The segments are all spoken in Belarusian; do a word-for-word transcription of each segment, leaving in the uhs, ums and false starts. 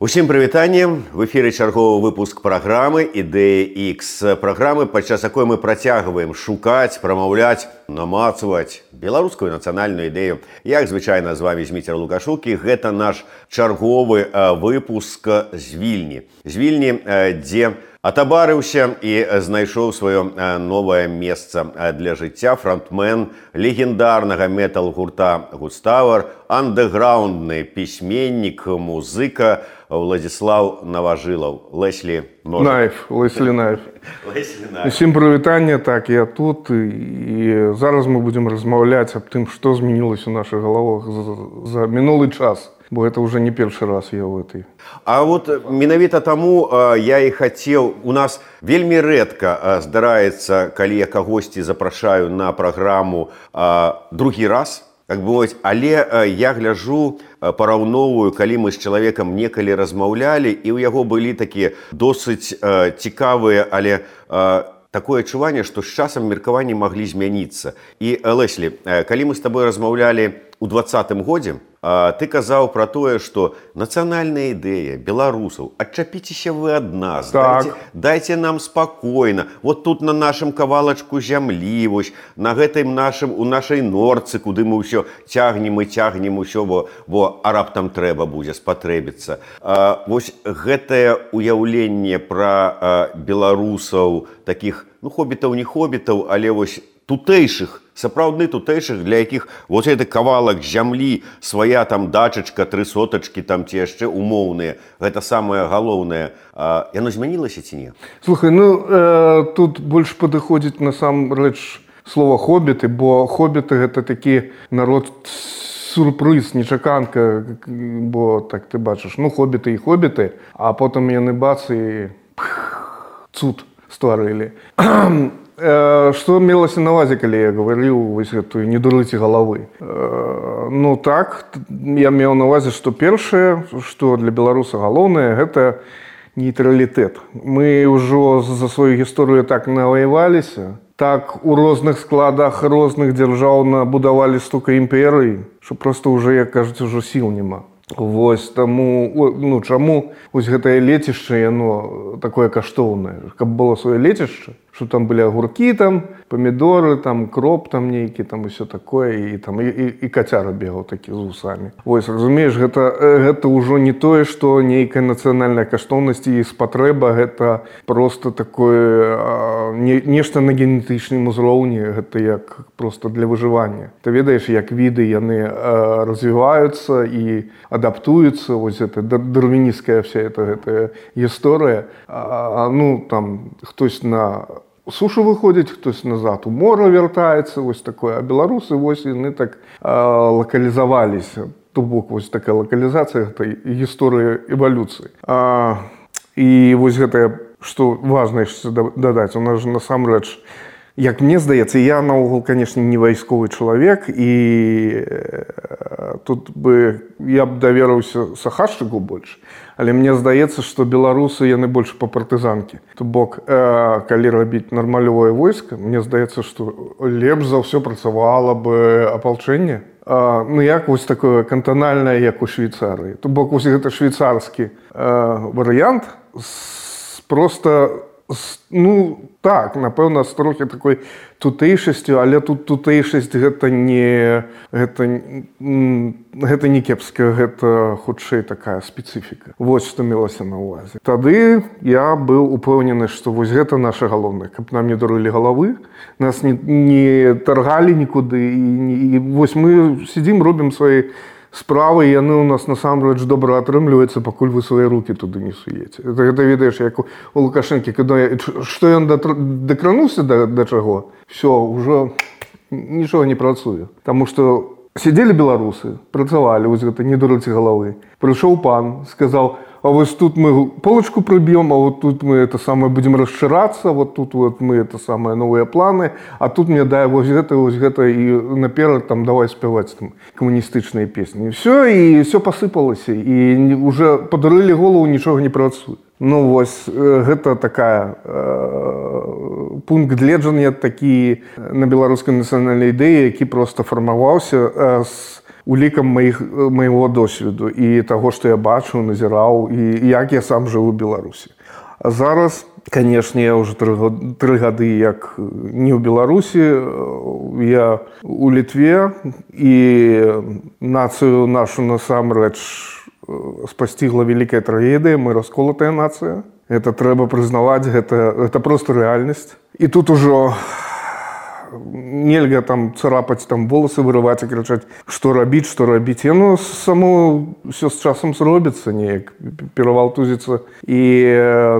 Усім прывітанне, в эфіры чарговы выпуск праграмы «Ідэя Х», праграмы, падчас якой мы працягваем шукаць, прамаўляць, намацваць беларускую нацыянальную ідэю. Як звычайна, з вами Зміцер Лукашук, і гэта наш чарговы выпуск з Вільні. З Вільні, дзе атабарыўся і знайшоў сваё новае месца для жыцця фронтмен легендарнага метал-гурта «Густавар», андэграундны пісьменнік, музыка Владзіслаў Наважылаў. Леслі Наев, Леслі Наев. Усім прывітанне, так, я тут, і зараз мы будзем размаўляць аб тым, што змянілася ў нашых галавах за мінулы час. Бо это уже не першы раз я ў этой. А вот менавіта таму я і хацеў, у нас вельмі рэдка здараецца, калі я кагосьці запрашаю на праграму другі раз, так бы мовіць, але я гляджу, параўноўваю, калі мы з чалавекам некалі размаўлялі, і ў яго былі такія досыць цікавыя, але такое адчуванне, што з часам меркаванні маглі змяніцца. І, Леслі, калі мы з табой размаўлялі ў дваццатым годзе, ты казаў пра тое, што нацыянальная ідэя беларусаў, адчапіцеся вы ад нас, так. дайце, дайце нам спакойна, вот тут на нашым кавалачку зямлі, вось, на гэтым нашым, у нашай норцы, куды мы ўсё цягнем і цягнем усё, бо, бо а раптам трэба будзе спатрэбіцца. А, вось гэтае уяўленне пра а, беларусаў, такіх, ну, хобітаў, не хобітаў, але вось тутэйшых, сапраўдны тутэйшых, для якіх вот гэты кавалак зямлі, свая там дачачка, тры сотачкі, там ці яшчэ умоўныя, гэта самае галоўнае. А, яно змянілася ці не? Слухай, ну, э, тут больш падыходзіць насамрэч слова хобіты, бо хобіты гэта такі народ сюрпрыз, нечаканка, бо так ты бачыш, ну, хобіты і хобіты, а потым яны бац і цуд стварылі. Што мелася на ўвазе, калі я гаварыў вось гэтую «не дурыце галавы»? Ну так, я меў на ўвазе, што першае, што для беларуса галоўнае, гэта нейтралітэт. Мы ўжо за сваю гісторыю так наваяваліся, так у розных складах розных дзяржаў набудавалі столько імперый, што проста ўжо, як кажуць, ужо сіл няма. Вось таму, ну, чаму вось гэтае лецішча, яно такое каштоўнае, каб было сваё лецішча, што там былі агуркі, там, памідоры, там, кроп там нейкі, там, усё такое, і, там, і, і, і кацяра бегаў такі з вусамі. Вось, разумееш, гэта, гэта ўжо не тое, што нейкая нацыянальная каштоўнасць і спатрэба, гэта проста такое, а, не, нешта на генетычным узроўні, гэта як проста для выжывання. Ты ведаеш, як віды яны а, развіваюцца і адаптуюцца, вось гэта дарвінісцкая вся эта, гэтая гісторыя. А, ну, там, хтось на сушу выходзіць, хтось назад у мора вяртаецца, вось такое. А беларусы, вось, яны так а, лакалізаваліся. То бок, вось такая лакалізацыя гэтай гісторыі эвалюцыі. А, і вось гэтае, што важна яшчэ дадаць, у нас жа насамрэч, як мне здаецца, я наогул, канешне, не вайсковы чалавек, і тут бы я б даверыўся сахашчыку больш, але мне здаецца, што беларусы яны больш па партызанкі. То бок, э, калі рабіць нармалёвае войска, мне здаецца, што лепш за ўсё працавала бы апалчэнне. Э, ну як вось такое кантанальнае, як у Швейцарыі. То бок вось гэта швейцарскі э, варыянт з, проста ну, так, напэўна, з трохі такой тутэйшасцю, але тут тутэйшасць гэта не, гэта, гэта не кепска, гэта хутчэй такая спецыфіка. Вось што мелася на ўвазе. Тады я быў упэўнены, што вось гэта наша галоўнае, каб нам не дурылі галавы, нас не, не таргалі нікуды, і, і вось мы сидзім, робім свае справы, і яны ў нас насамрэч добра атрымліваюцца, пакуль вы свае рукі туды не суеце. Это, гэта ведаеш, як у, у Лукашэнкі, калі што ён дакрануўся да, да чаго, все, ўжо нічога не працуе. Таму што сидзелі беларусы, працавалі, вось гэта не дурыце галавы. Прыйшоў пан, сказаў: а вот тут мы полочку пробьем, а вот тут мы это самое будем расшираться, вот тут вот мы это самое новые планы, а тут мне дай вот это, вот это, и наперед там давай спевать там коммунистичные песни. И все, и все посыпалось, и уже подурили голову, ничего не працует. Ну вось, гэта такая э, пункт гледжання такі на беларускай нацыянальнай ідэі, які проста фармаваўся э, з улікам маіх, майго досведу і таго, што я бачыў, назіраў, і як я сам жыў у Беларусі. А зараз, канешне, я ўжо тры гады як не ў Беларусі, я у Літве, і нацыю нашу насамрэч спасцігла вялікая трагедыя, мы расколатая нацыя. Гэта трэба прызнаваць, гэта, гэта просто рэальнасць. І тут ужо нельга там царапаць, там волосы вырываць і крычаць, што рабіць, што рабіць. Яно само ўсё з часам зробіцца неяк, перавалтузіцца і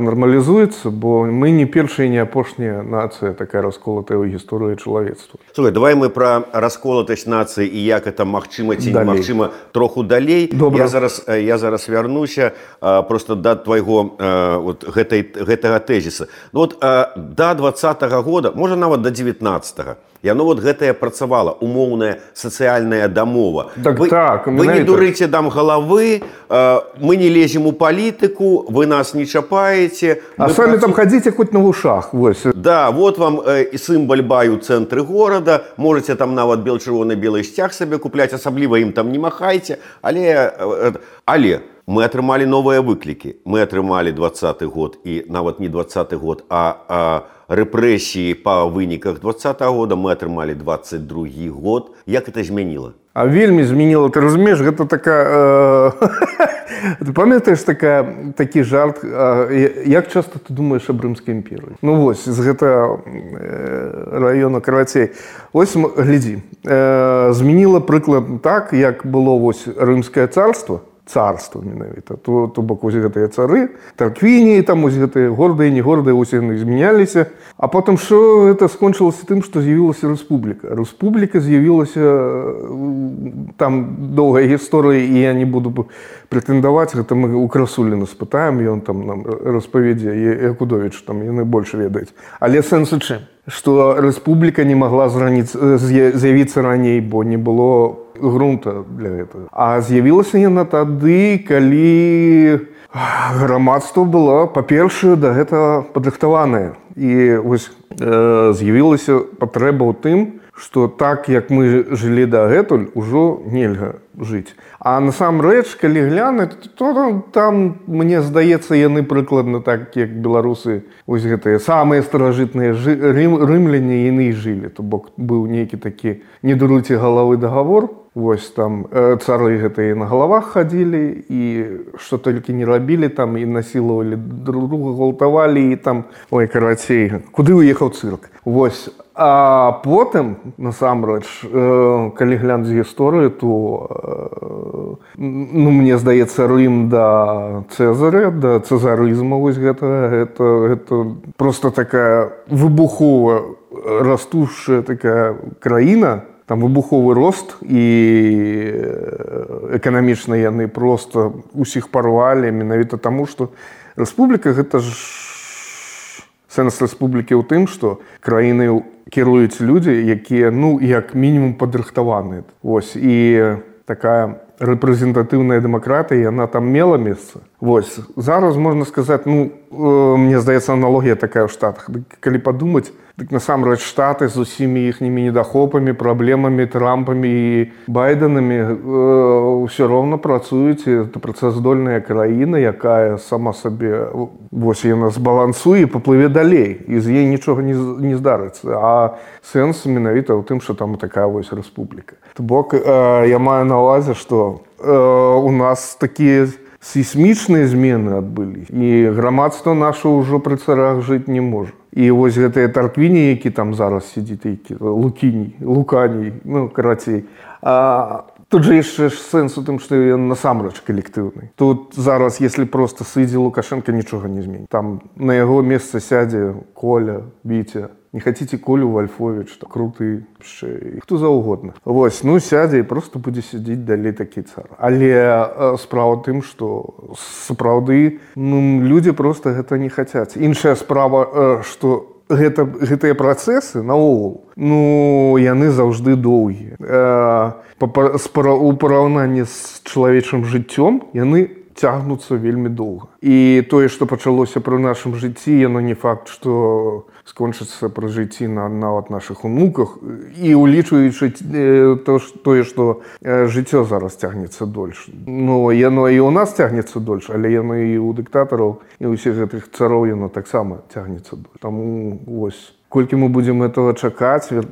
нармалізуецца, бо мы не першая і не апошняя нацыя такая расколатая ў гісторыі чалавецтва. Слухай, давай мы пра расколатасць нацыі і як это магчыма ці немагчыма троху далей. Добра. Я зараз, я зараз вярнуся просто да твайго вот, гэтай, гэтага тэзіса. Ну, вот, да двадцатага года, можа нават да дзевятнаццатага, яно вот гэтае працавала, умоўная сацыяльная дамова. Так, вы, так, вы не дурыце дам галавы, мы не лезем у палітыку, вы нас не чапаеце. А самі працу... там хадзіце хоць на вушах. Вось. Да, вот вам і сімбаль бай у цэнтры горада, можаце там нават бел-чырвоны-белы сцяг сабе купляць, асабліва ім там не махайце, але, але мы атрымалі новыя выклікі. Мы атрымалі двадцаты год і нават не двадцаты год, а, а рэпрэсіі па выніках двадцатага года мы атрымалі двадцать другі год. Як это змяніла? А вельмі змяніла. Ты разумееш, гэта такая... Ты памятаеш такая, такі жарт, як часта ты думаеш аб Рымскай імперыі? Ну вось, з гэтага раёна карацей. Вось, глядзі, змяніла прыклад так, як было вось Рымскае царства, царства менавіта, то, то бок вось гэтыя цары, тарквіні, там вось гэтыя гордыя, не гордыя, вось яны змяняліся. А потым што гэта скончылася тым, што з'явілася рэспубліка. Рэспубліка з'явілася, там доўгая гісторыя, і я не буду прэтэндаваць, гэта мы у Красуліна спытаем, ён там нам распавядзе, Якудовіч, там яны больш ведаюць. Але сэнс у чым? Што рэспубліка не магла з'явіцца раней, бо не было грунта для гэтага. А з'явілася яна тады, калі грамадства было, па-першае, да гэтага падрыхтаванае. І вось э, з'явілася патрэба ў тым, што так, як мы жылі дагэтуль, ужо нельга жыць. А насамрэч, калі глянуць, то там, мне здаецца, яны прыкладна так, як беларусы, вось гэтыя самыя старажытныя рым, рымляне, яны і жылі. То бок быў нейкі такі «не дуруйце галавы» дагавор. Вось там э, цары гэтыя на галавах хадзілі, і што толькі не рабілі, там і насілавалі друг друга, гвалтавалі, і там, ой, карацей, куды уехаў цырк. Вось. А потым, насамрэч, э, калі глянуць гісторыю, то, э, ну, мне здаецца, Рым да Цэзаря, да цэзарызма, вось гэтага, гэта, гэта просто такая выбухова растушая такая краіна, там выбуховы рост, і эканамічна яны просто усіх парвалі, менавіта таму, што рэспубліка гэта ж сэнс рэспублікі ў тым, што краіны кіруюць людзі, якія, ну, як мінімум падрыхтаваныя. Вось, і такая рэпрэзентатыўная дэмакратыя, яна там мела месца. Вось, зараз можна сказаць, ну, э, мне здаецца, аналогія такая ў Штатах. Калі падумаць, дык насамрэч Штаты з усімі іхнімі недахопамі, праблемамі, Трампамі і Байденамі э, ўсё роўна працуюць. Гэта працаздольная краіна, якая сама сабе, вось яна збалансуе і паплыве далей, і з ей нічога не, не здарыцца. А сэнс менавіта ў тым, што там такая вось рэспубліка. То бок э, я маю на ўвазе, што э, у нас такія сейсмічныя змены адбылі, і грамадства наша ўжо пры царах жыць не можа. І вось гэтыя тарквіні, які там зараз сидзіць, які лукіній, луканій, ну, карацей. А тут же яшчэ ж сэнс у тым, што ён насамрэч калектыўны. Тут зараз, если просто сыдзе Лукашенко, нічога не зменіць. Там на яго месца сядзе Коля, Вітя. Не хотите Колю Вольфович, так круты, хто заўгодна. Вось, ну, сядзе і просто будзе сядзіць далей такі цар. Але э, справа тым, што сапраўды, ну, людзі просто гэта не хацяць. Іншая справа, э, што гэта, гэтыя працэсы наогул, ну, яны заўжды доўгія. Э, у параўнанні з чалавечым жыццём яны цягнуцца вельмі доўга. І тое, што пачалося пры нашым жыцці, яно не факт, што скончыцца пры жыцці на нават нашых унуках. І улічваючы тое, што жыццё зараз цягнецца дольш. Ну, яно і ў нас цягнецца дольш, але яно і ў дыктатараў, і ўсіх гэтых цароў яно таксама цягнецца дольш. Таму вось. Колькі мы будзем этого чакаць, вер...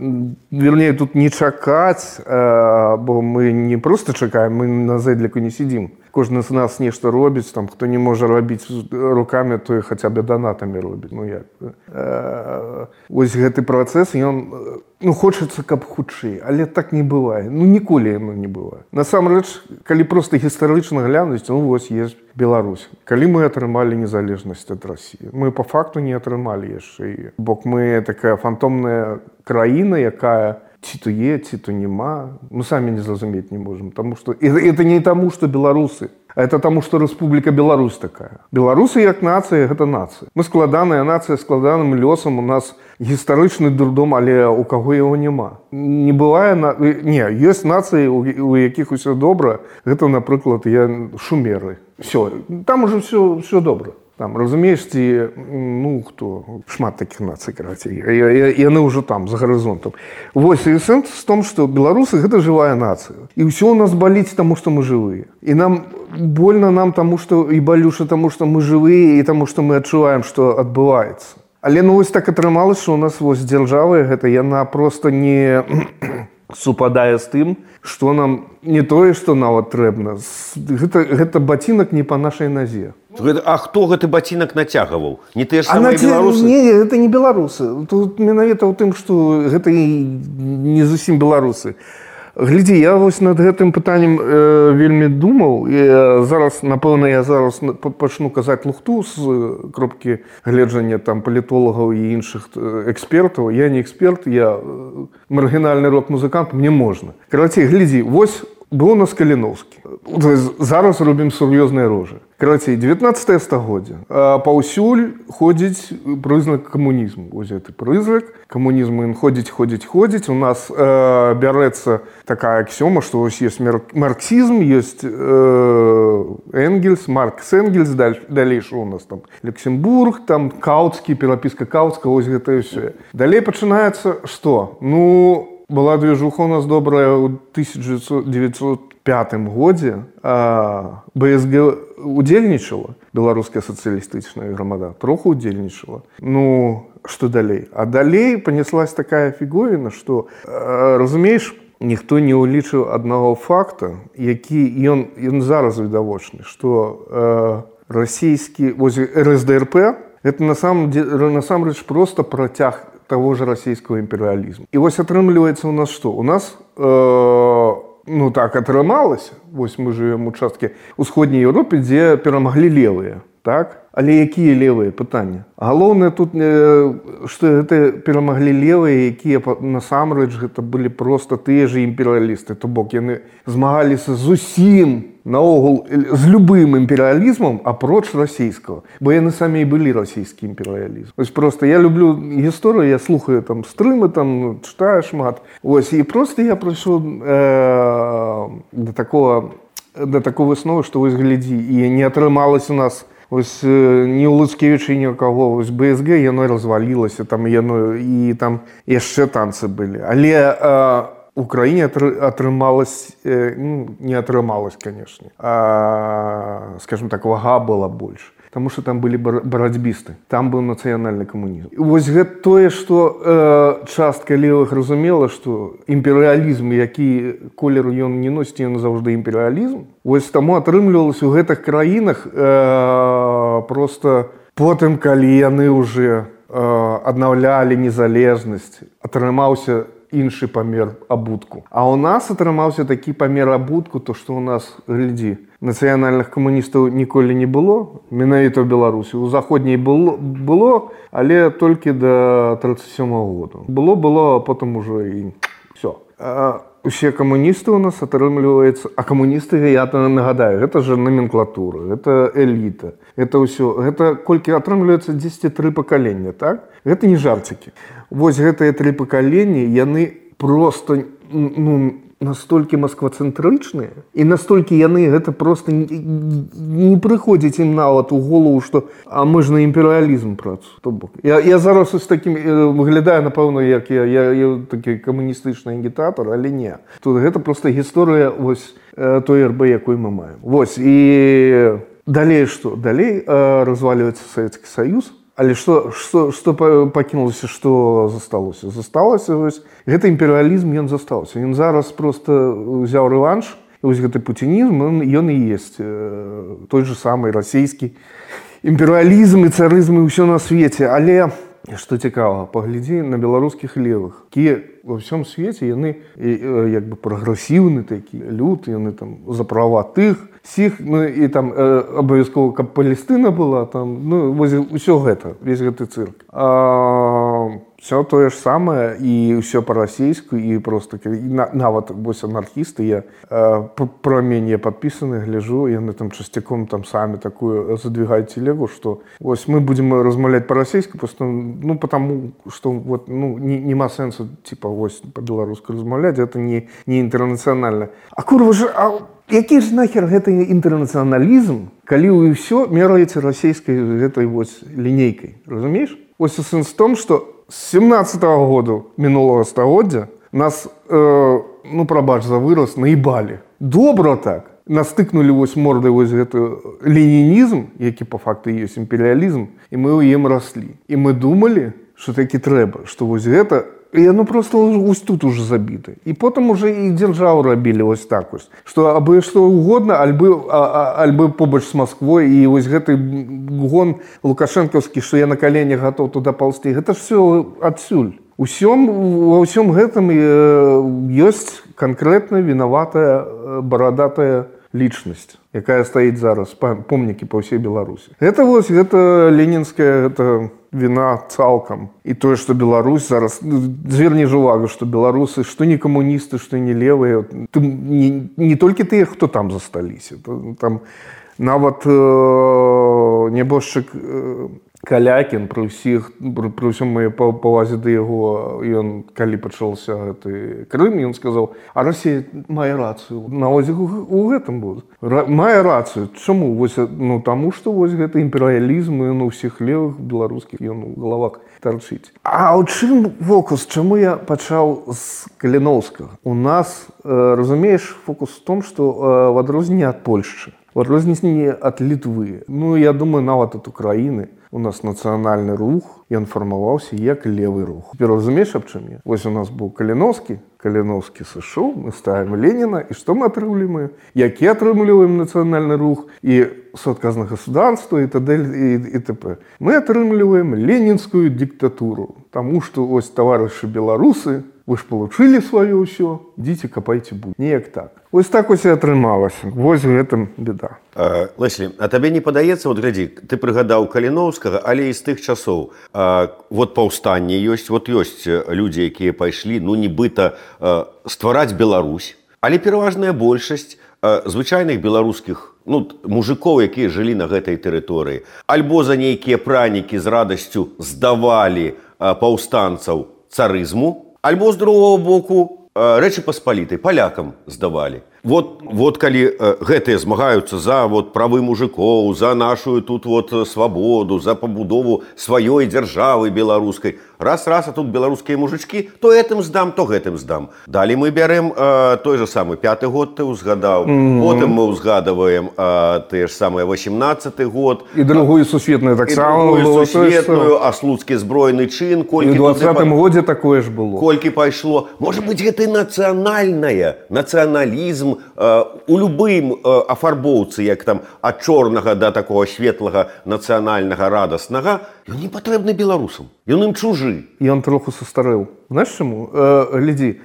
вернее, тут не чакаць, а, бо мы не проста чакаем, мы на зэдліку не сидзім. Кожны з нас нешта робіць, там, хто не можа рабіць рукамі, то і хаця б данатамі робіць. Ну, як? А, вось гэты працэс, ён, ну, хочацца, каб хутчэй, але так не бывае. Ну, ніколі яно не бывае. Насамрэч, калі проста гістарычна глянуць, ну, вось есть Беларусь. Калі мы атрымалі незалежнасць ад Расіі, мы па факту не атрымалі яшчэ яе. Бо мы такая фантомная краіна, якая ці то є, ці то нема. Мы самі не зразумець не можем. Тому што... І это не таму, што беларусы, а это таму, што Рэспубліка Беларусь такая. Беларусы як нацыя, гэта нацыя. Мы складаная нацыя, складаным лёсам, у нас гістарычны дурдом, але у каго яго няма. Не бывае... На... Не, ёсць нацыі, у якіх усё добра. Гэта, напрыклад, я шумеры. Все, там уже все, все добре. Там, разумееш, ці, ну, хто, шмат таких нацый, карацей, яны ўжо там, за гарызонтам. Вось, і сэнс в том, што беларусы — гэта жывая нацыя. І ўсё у нас баліць таму, што мы жывыя. І нам больно нам таму, што, і балюша таму, што мы жывыя, і таму, што мы адчуваем, што адбываецца. Але, ну, вось так атрымалася, што у нас вось дзяржава гэта, яна проста не супадае з тым, што нам не тое, што нават трэбна. Гэта, гэта бацінак не па нашай назе. А хто гэты бацінак нацягваў? Не тыя ж самыя беларусы? Не, гэта не беларусы. Тут менавіта ў тым, што гэта не зусім беларусы. Глядзі, я вось над гэтым пытаннем э, вельмі думаў. І зараз, напэўна, я зараз пачну казаць лухту з кропкі гледжання там палітолагаў і іншых экспертаў. Я не эксперт, я маргінальны рок-музыкант, мне можна. Карацей, глядзі, вось быў у нас Каліноўскі. Зараз робім сур'ёзныя рожы. Карацей, дзевятнаццатае стагоддзе. Паўсюль ходзіць прызнак камунізму. Вось гэты прызнак камунізму, ён ходзіць, ходзіць, ходзіць. У нас э, бярэцца такая аксёма, што вось ёсць марксізм, ёсць э, Энгельс, Маркс Энгельс, даль, далей што у нас там Люксембург, там Каўцкі, перапіска Каўцка, вось гэта і ўсё. Далей пачынаецца што? Ну, была движуха у нас добрая ў тысяча девятьсот пятым годзе. БСГ удзельнічала, беларуская сацыялістычная грамада, троху удзельнічала. Ну, што далей? А далей панеслась такая фігуріна, што, разумееш, ніхто не ўлічыў аднаго факта, які ён, ён зараз відавочны, што э, расійскі, вось РСДРП, гэта насамрэч проста працяг того же расійского імперыялізму. І вось атрымліваецца у нас што? У нас, э, ну так атрымалася, вось мы жывем у часткі ўсходняй Еўропы, дзе перамаглі левыя, так? Але якія левыя? Пытанне. Галоўнае тут, э, што гэта перамаглі левыя, якія насамрэч гэта былі проста тыя же імперыялісты, то бок яны змагаліся з усім, наогул, з любым імперыялізмам, апроч расійскага. Бо яны самі і былі расійскі імперыялізм. Вось проста я люблю гісторыю, я слухаю там стрымы, там чытаю шмат. Вось, і проста я прыйшоў э, да такого, да такого высновы, што вось глядзі, і не атрымалася у нас ось ні ў Луцкевіча, ні ў каго. Ось БСГ, яно развалілася, там яно, і там яшчэ танцы былі. Але э, у краіне атрымалась, э, ну, не атрымалась, конечно, а, скажем так, вага была больш. Таму што там былі барацьбісты, там быў нацыянальны камунізм. Вось гэта тое, што э, частка левых разумела, што імперыялізм, які колер ён не носіць, ён заўжды імперыялізм. Вось таму атрымлівалася ў гэтых краінах э, проста потым, калі яны ўжо э, аднаўлялі незалежнасць, атрымаўся іншы памер абутку. А ў нас атрымаўся такі памер абутку, то што ў нас, глядзі, нацыянальных камуністаў ніколі не было, менавіта ў Беларусі. У заходняй было, было, але толькі да тридцать сёмага года. Было, было, а потым ужо і ўсё. Усе камуністы у нас атрымліваецца, а камуністы, я нагадаю, гэта же номенклатура, гэта эліта, гэта ўсё, гэта колькі атрымліваецца дзесяць тры пакалення, так? Гэта не жарцікі. Вось гэтыя тры пакаленні, яны проста, ну, настолькі масквацэнтрычныя і настолькі яны гэта просто не, не прыходзіць ім нават у голову, што а мы ж на імперыялізм працу. То бок я, я зараз з такім выглядаю, напэўна, як я, я, я такі камуністычны агітатор, але не. Тут гэта просто гісторыя вось той эр бэ, якой мы маем. Вось і далей што? Далей разваліваецца Савецкі Саюз. Але што, што, што пакінулася, што засталося? Засталася, вось, гэта імперыялізм, ён застаўся. Ён зараз проста ўзяў рэванш, і вось гэты пуцінізм, ён, ён і есть той же самый расійскі імперыялізм і царызм і ўсё на свеце. Але, што цікава, паглядзі на беларускіх левых, якія ва ўсём свеце, яны як бы прагрэсіўны такі, люд, яны там за права тых, сіх, ну і там э, абавязкова, каб Палестына была, там, ну, вось усё гэта, весь гэты цырк. А, все тое ж самае і ўсё па-расійску, і просто, на, нават, вось анархісты, я э, пра мяне падпісаны, гляжу, яны там часцяком там самі такую задвигаюць телегу, што вось мы будзем размаўляць па-расійску, просто, ну, потому, што вот, ну, не, нема сэнсу, типа, вось, па-беларуску размаўляць, это не, не інтэрнацыянальна. А курва ж, а які ж нахер гэты інтэрнацыяналізм, калі вы ўсё мераеце расійскай гэтай вось лінейкай, разумееш? Вось сэнс в том, што з сямнаццатага году мінулага стагоддзя нас, э, ну, прабач за выраз, наебалі. Добра так. Нас тыкнулі вось мордай вось гэты ленінізм, які па факту ёсць імперыялізм, і мы ў ім раслі. І мы думалі, што такі трэба, што вось гэта і яно просто ось тут уже забіта. І потым уже і дзяржаву рабілі ось так вось. Што абы што угодна, альбы, альбы побач з Масквой, і вось гэты гон лукашэнкаўскі, што я на каленях гатоў туды паўзці, гэта ж все адсюль. Усём, ва ўсём гэтым ёсць канкрэтна вінаватая барадатая лічнасць, якая стаіць зараз, помнікі па ўсей Беларусі. Гэта вось, гэта ленінская, гэта віна цалкам. І тое, што Беларусь зараз, зверні ж увагу, што беларусы, што не камуністы, што не левыя, не, не толькі тыя, хто там засталіся. Там нават э, нябожчык э, Калякін, пры ўсіх, пры, пры ўсім моей павазе да яго, ён, калі пачаўся гэты Крым, ён сказаў, а Расія мае рацыю. На ось у гэтым быў. Мае рацыю. Чаму? Вось, ну, таму, што вось гэты імперыялізм, ён у ўсіх левых беларускіх, ён у галавах тарчыць. А ў чым фокус? Чаму я пачаў з Каліноўскага? У нас, э, разумееш, фокус в том, што э, в адрозненне ад Польшчы, в адрозненне ад Літвы, ну, я думаю, нават ад Украіны, у нас нацыянальны рух, ён фармаваўся як левы рух. Ты разумееш, аб чым я? Вось у нас быў Каліноўскі, Каліноўскі сышоў, мы ставім Леніна, і што мы атрымліваем? Які атрымліваем нацыянальны рух і суадказнае государства і т.д. і т.п. Мы атрымліваем ленінскую дыктатуру, таму што ось таварышы беларусы, вы ж получили сваё ўсё, ідзіце капайце буд. Неяк так. Вось так ось і атрымалася. Вось гэтым беда. А, Леслі, а табе не падаецца, вот глядзі, ты прыгадаў Каліноўскага, але і з тых часоў, а, вот паўстанне ёсць, вот ёсць людзі, якія пайшлі, ну, нібыта а, ствараць Беларусь, але пераважная большасць а, звычайных беларускіх, ну, мужикоў, якія жылі на гэтай тэрыторыі, альбо за нейкія пранікі з радасцю здавалі а, паўстанцаў царызму, альбо з другого боку Рэчы Паспалітай палякам здавалі. Вот, вот калі гэтыя змагаюцца за вот, правы мужикоў, за нашу тут вот свабоду, за пабудову сваёй дзяржавы беларускай, раз-раз, а тут беларускія мужичкі, то гэтым здам, то гэтым здам. Далі мы бярэм э, той же самы пяты год ты ўзгадаў, mm-hmm. потым мы ўзгадаваем э, тыя ж самыя васемнаццаты год. І другую сусветную таксама. І другую сусветную, а слуцкі збройны чын. І ў дваццатым годзе такое ж было. Колькі пайшло. Можа быць, гэта і нацыянальнае, нацыяналізм, у любым афарбоўцы, як там ад чорнага да такого светлага нацыянальнага радаснага, ён не патрэбны беларусам. Ён ім чужы. Ён троху састарэў. Знаеш чаму? Э, глядзі,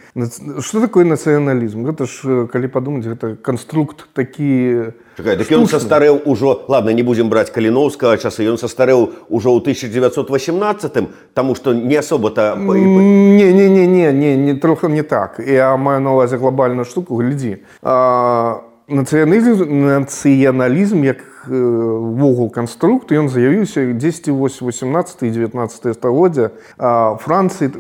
што такое нацыяналізм? Гэта ж, калі падумаць, гэта канструкт такі... Чакай, так ён састарэў ужо... Ладно, не будзем браць Каліноўскага часы. Ён састарэў ужо ў тысяча дзевяцьсот васемнаццатым, таму што не асоба-то... Не-не-не, не, не, трохи не так. Я маю на ўвазе глобальную штуку. Глядзі. А, нацыяналізм, нацыяналізм як вогул канструкт, ён з'явіўся дзесьці вось восемнадцатае і дзевятнаццатае стагоддзя. А Францыі,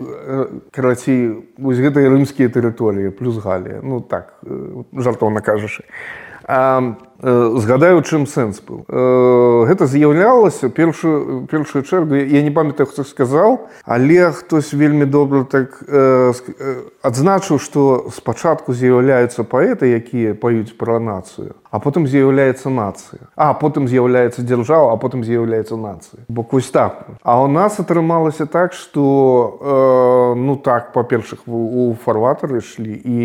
карацей, вось гэтыя рымскія тэрыторыі плюс Галія. Ну так, жартоўна кажучы. А, згадаю, у чым сэнс быў. Гэта з'яўлялася першую, першую чергу, я не памятаю, хто сказаў, але хтось вельмі добра так э, адзначыў, што спачатку з'яўляюцца паэты, якія паюць пра нацыю, а потым з'яўляецца нацыя. А потым з'яўляецца дзяржава, а потым з'яўляецца нацыя. Бо вось так. А ў нас атрымалася так, што э, ну так, па-першых, у фарватары ішлі, і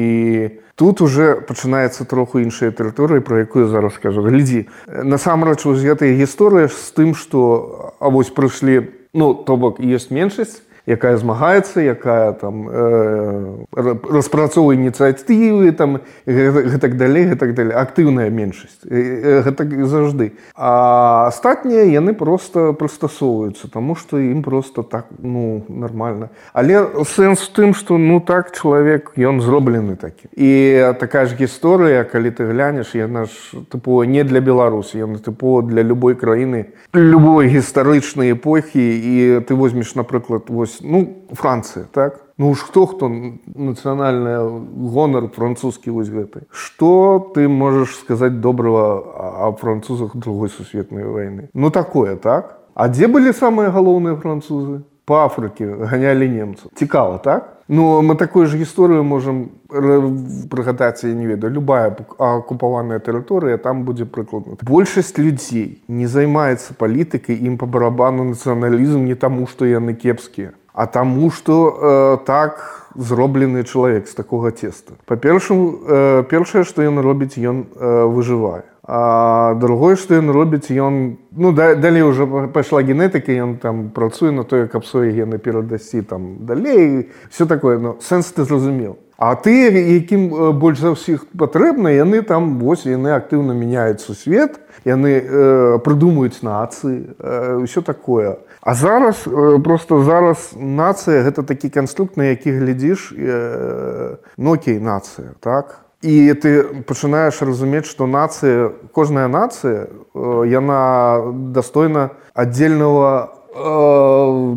тут уже пачынаецца троху іншая тэрыторыя, пра якую зараз скажу. Глядзі, насамрэч вось гэтая гісторыя з тым, што а вось прыйшлі, ну, то бок, ёсць меншасць, якая змагаецца, якая там э, распрацоўвае ініцыятывы, там, гэтак далей, гэтак далей. Актыўная меншасць. Гэтак заўжды. А астатнія, яны проста прыстасоўваюцца, таму што ім проста так, ну, нармальна. Але сэнс в тым, што, ну, так, чалавек, ён зроблены такі. І такая ж гісторыя, калі ты глянеш, яна ж, тыпова, не для Беларусі, яна, тыпова, для любой краіны, любой гістарычнай эпохі, і ты возьмеш, напрыклад, вось, ну, Францыя, так? Ну уж хто-хто нацыянальны гонар французскі вось гэты. Што ты можаш сказаць добрага о французах Другой сусветнай вайны? Ну такое, так? А дзе былі самыя галоўныя французы? Па Афрыке ганялі немцаў. Цікава, так? Ну, мы такую ж гісторыю можам прыгадаць, я не ведаю, любая акупаваная тэрыторыя, там будзе прыкладна. Большасць людзей не займаецца палітыкай, ім па барабану нацыяналізм не таму, што яны кепскія, а таму, што э, так зроблены чалавек з такога цеста. Па-першаму, э, першае, што ён робіць, ён э, выжывае. А другое, што ён робіць, ён, ну, да, далей уже пайшла генетыка, ён там працуе на тое, каб свае гены перадасці там далей, все такое, ну, сэнс ты зразумеў. А ты, якім больш за ўсіх патрэбна, яны там, вось, яны актыўна мяняюць сусвет, яны э, прыдумаюць нацыі, э, ўсё такое. А зараз, э, просто зараз нацыя, гэта такі канструкт, на які глядзіш, э, ну, окей, нацыя, так? І ты пачынаеш разумець, што нацыя, кожная нацыя, э, яна дастойна аддзельнага э,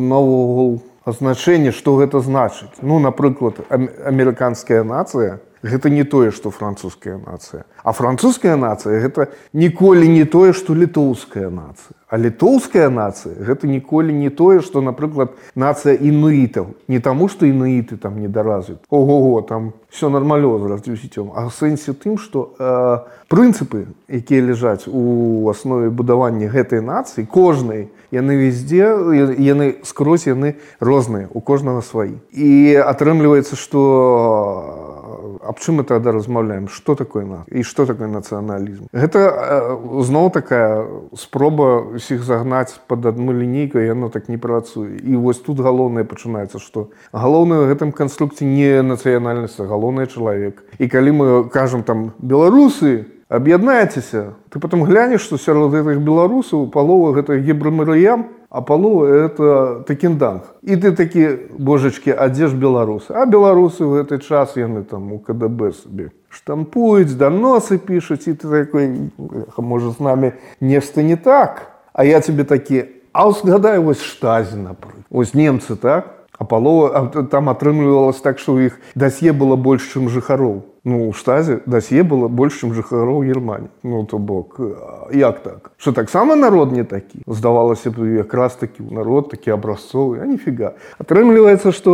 наогул азначэння, што гэта значыць. Ну, напрыклад, амерыканская нацыя – гэта не тое, што французская нацыя. А французская нацыя – гэта ніколі не тое, што літоўская нацыя. А літоўская нацыя – гэта ніколі не тое, што, напрыклад, нацыя інуітаў. Не таму, што інуіты там недаразвіты. Ого-го, там все нармалёва з развіццём. А ў сэнсе тым, што э, прынцыпы, якія ляжаць у аснове будавання гэтай нацыі, кожнай, яны везде, яны скрозь, яны розныя, у кожнага сваі. І атрымліваецца, што аб чым мы тогда размаўляем? Што такое нацыя? І што такое нацыяналізм? Гэта э, зноў такая спроба усіх загнаць пад адну лінейку, і яно так не працуе. І вось тут галоўнае пачынаецца, што галоўнае ў гэтым канструкце не нацыянальнасць, а галоўнае чалавек. І калі мы кажам там беларусы, аб'яднайцеся, ты потом глянеш, што сярод гэтых беларусаў палова гэта гібрамарыям, а палова это такінданг. І ты такі, божачкі, а дзе ж беларусы? А беларусы ў гэты час яны там у ка дэ бэ сабе штампуюць, даносы пішуць, і ты такой, можа, з намі нешта не так. А я тебе такі, а згадай вось Штазі, напрыклад. Вось немцы, так? А палова, а там атрымлівалася так, што ў іх дасье было больш, чым жыхароў. Ну, у Штазе дасье было больш, чым жыхароў Германіі. Ну, то бок, як так? Што таксама народ не такі? Здавалася б, якраз такі народ, такі абразцовы, а ніфіга. Атрымліваецца, што,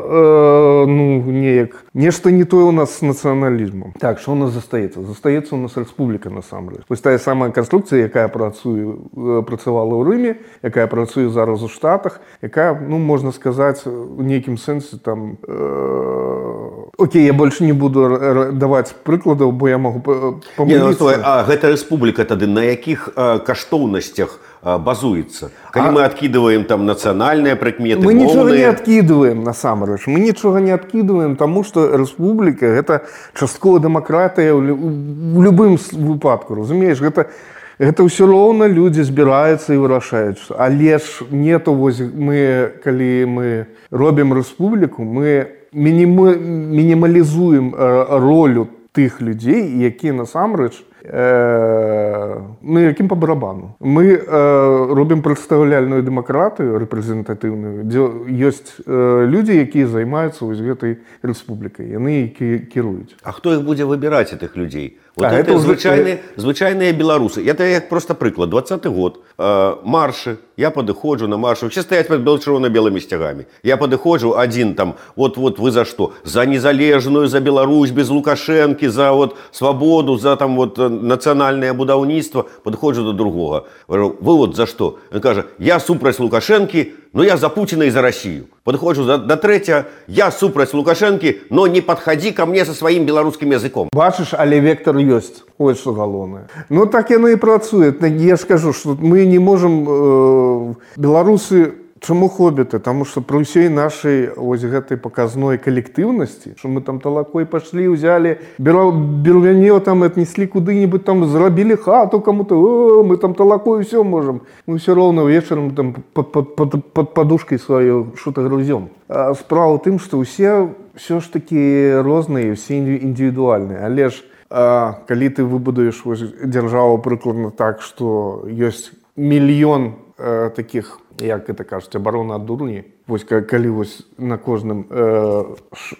э, ну, неяк, нешта не тое ў нас з нацыяналізмам. Так, што ў нас застаецца? Застаецца ў нас рэспубліка, насамрэч. Вось тая самая канструкцыя, якая працуе, працавала ў Рыме, якая працуе зараз у Штатах, якая, ну, можна сказаць, у нейкім сэнсе, там, э, окей, я больш не буду даваць прыкладаў, бо я магу памыліцца. Ну, а гэта рэспубліка тады на якіх а, каштоўнасцях а, базуецца? Калі а... мы адкідваем там нацыянальныя прыкметы, мы моўныя... нічога не адкідваем, насамрэч. Мы нічога не адкідваем, таму што рэспубліка – гэта часткова дэмакратыя ў, ў любым выпадку, разумееш? Гэта, гэта ўсё роўна людзі збіраюцца і вырашаюць. Але ж не то, вось мы, калі мы робім рэспубліку, мы мінімалізуем ролю тых людзей, якія насамрэч э, ну, якім па барабану. Мы э, робім прадстаўляльную дэмакратыю рэпрэзентатыўную, дзе ёсць э, людзі, якія займаюцца вось гэтай рэспублікай, яны кіруюць. А хто іх будзе выбіраць, гэтых людзей? Вот а, это звычайныя, звычайныя беларусы. Это як просто прыклад. двадцаты год. Э, маршы. Я падыходжу на маршу. Все стаяць пад чырвона-белымі сцягамі. Я падыходжу адзін там, вот-вот вы за што? За незалежную, за Беларусь, без Лукашэнкі, за вот свабоду, за там вот нацыянальнае будаўніцтва. Падыходжу до другога. Вы вот за што? Ён кажа, я супраць Лукашэнкі, но я за Путина и за Россию. Подходжу до, до третьего, я супраць Лукашэнкі, но не подходи ко мне со своим белорусским языком. Бачыш, але вектор ёсць. Ось што галоўнае. Ну так яно і працуе. Я ж кажу, што мы не можам... Э, беларусы... Чаму хобіты? Таму што пры ўсёй нашай ось гэтай паказной калектыўнасці, што мы там талакой пашлі, узялі бельвянё, там аднеслі куды-нибудь, там зрабілі хату каму-то, о, мы там талакой усё можам. Мы ўсё роўна вечарам там пад, пад, пад, пад падушкай сваёй што-то грузём. А справа ў тым, што ўсе ўсё ж такі розныя, усе індывідуальныя. Але ж а, калі ты выбудуеш дзяржаву прыкладна так, што ёсць мільён а, такіх, як гэта кажуць, абарона ад дурні. Вось калі вось на кожным э,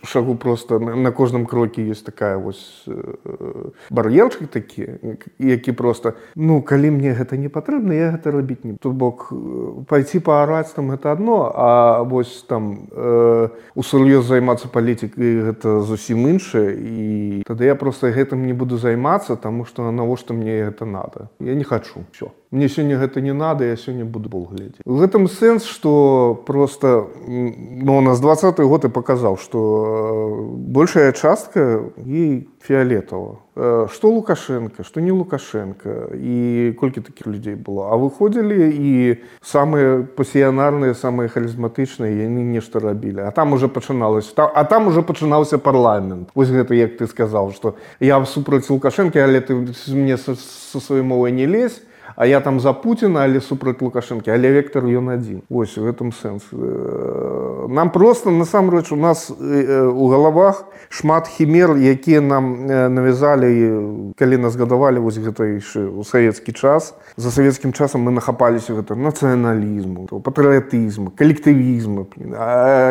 шагу просто на, на кожным кроке ёсць такая вось э, бар'ерчык такі, які просто, ну, калі мне гэта не патрэбна, я гэта рабіць не. То бок пайці паараць там гэта адно, а вось там э, усур'ёз займацца палітыкай гэта зусім іншае, і тады я просто гэтым не буду займацца, таму што навошта мне гэта надо. Я не хачу. Всё. Мне сёння гэта не надо, я сёння буду бол глядзець. В гэтым сэнс, што просто ну, у нас двадцаты год и показал, что большая частка ей фиолетово. Что Лукашенко, что не Лукашенко, и кольки таких людей было. А выходили и самые пассіянарные, самые харизматичные, и они нечто робили. А там уже починалось, а там уже починался парламент. Вот это, як ты сказал, что я супраць Лукашенко, але ты мне со, со своей мовой не лезь. А я там за Путина, але супраць Лукашэнкі, але вектор ён адзін. Вось, в этом сэнс. Нам просто, насамрэч, у нас у галавах шмат хімер, якія нам навязалі, калі нас гадавалі вось гэта яшчэ ў савецкі час. За савецкім часам мы нахапаліся гэта нацыяналізму, патрыятызму, калектывізму.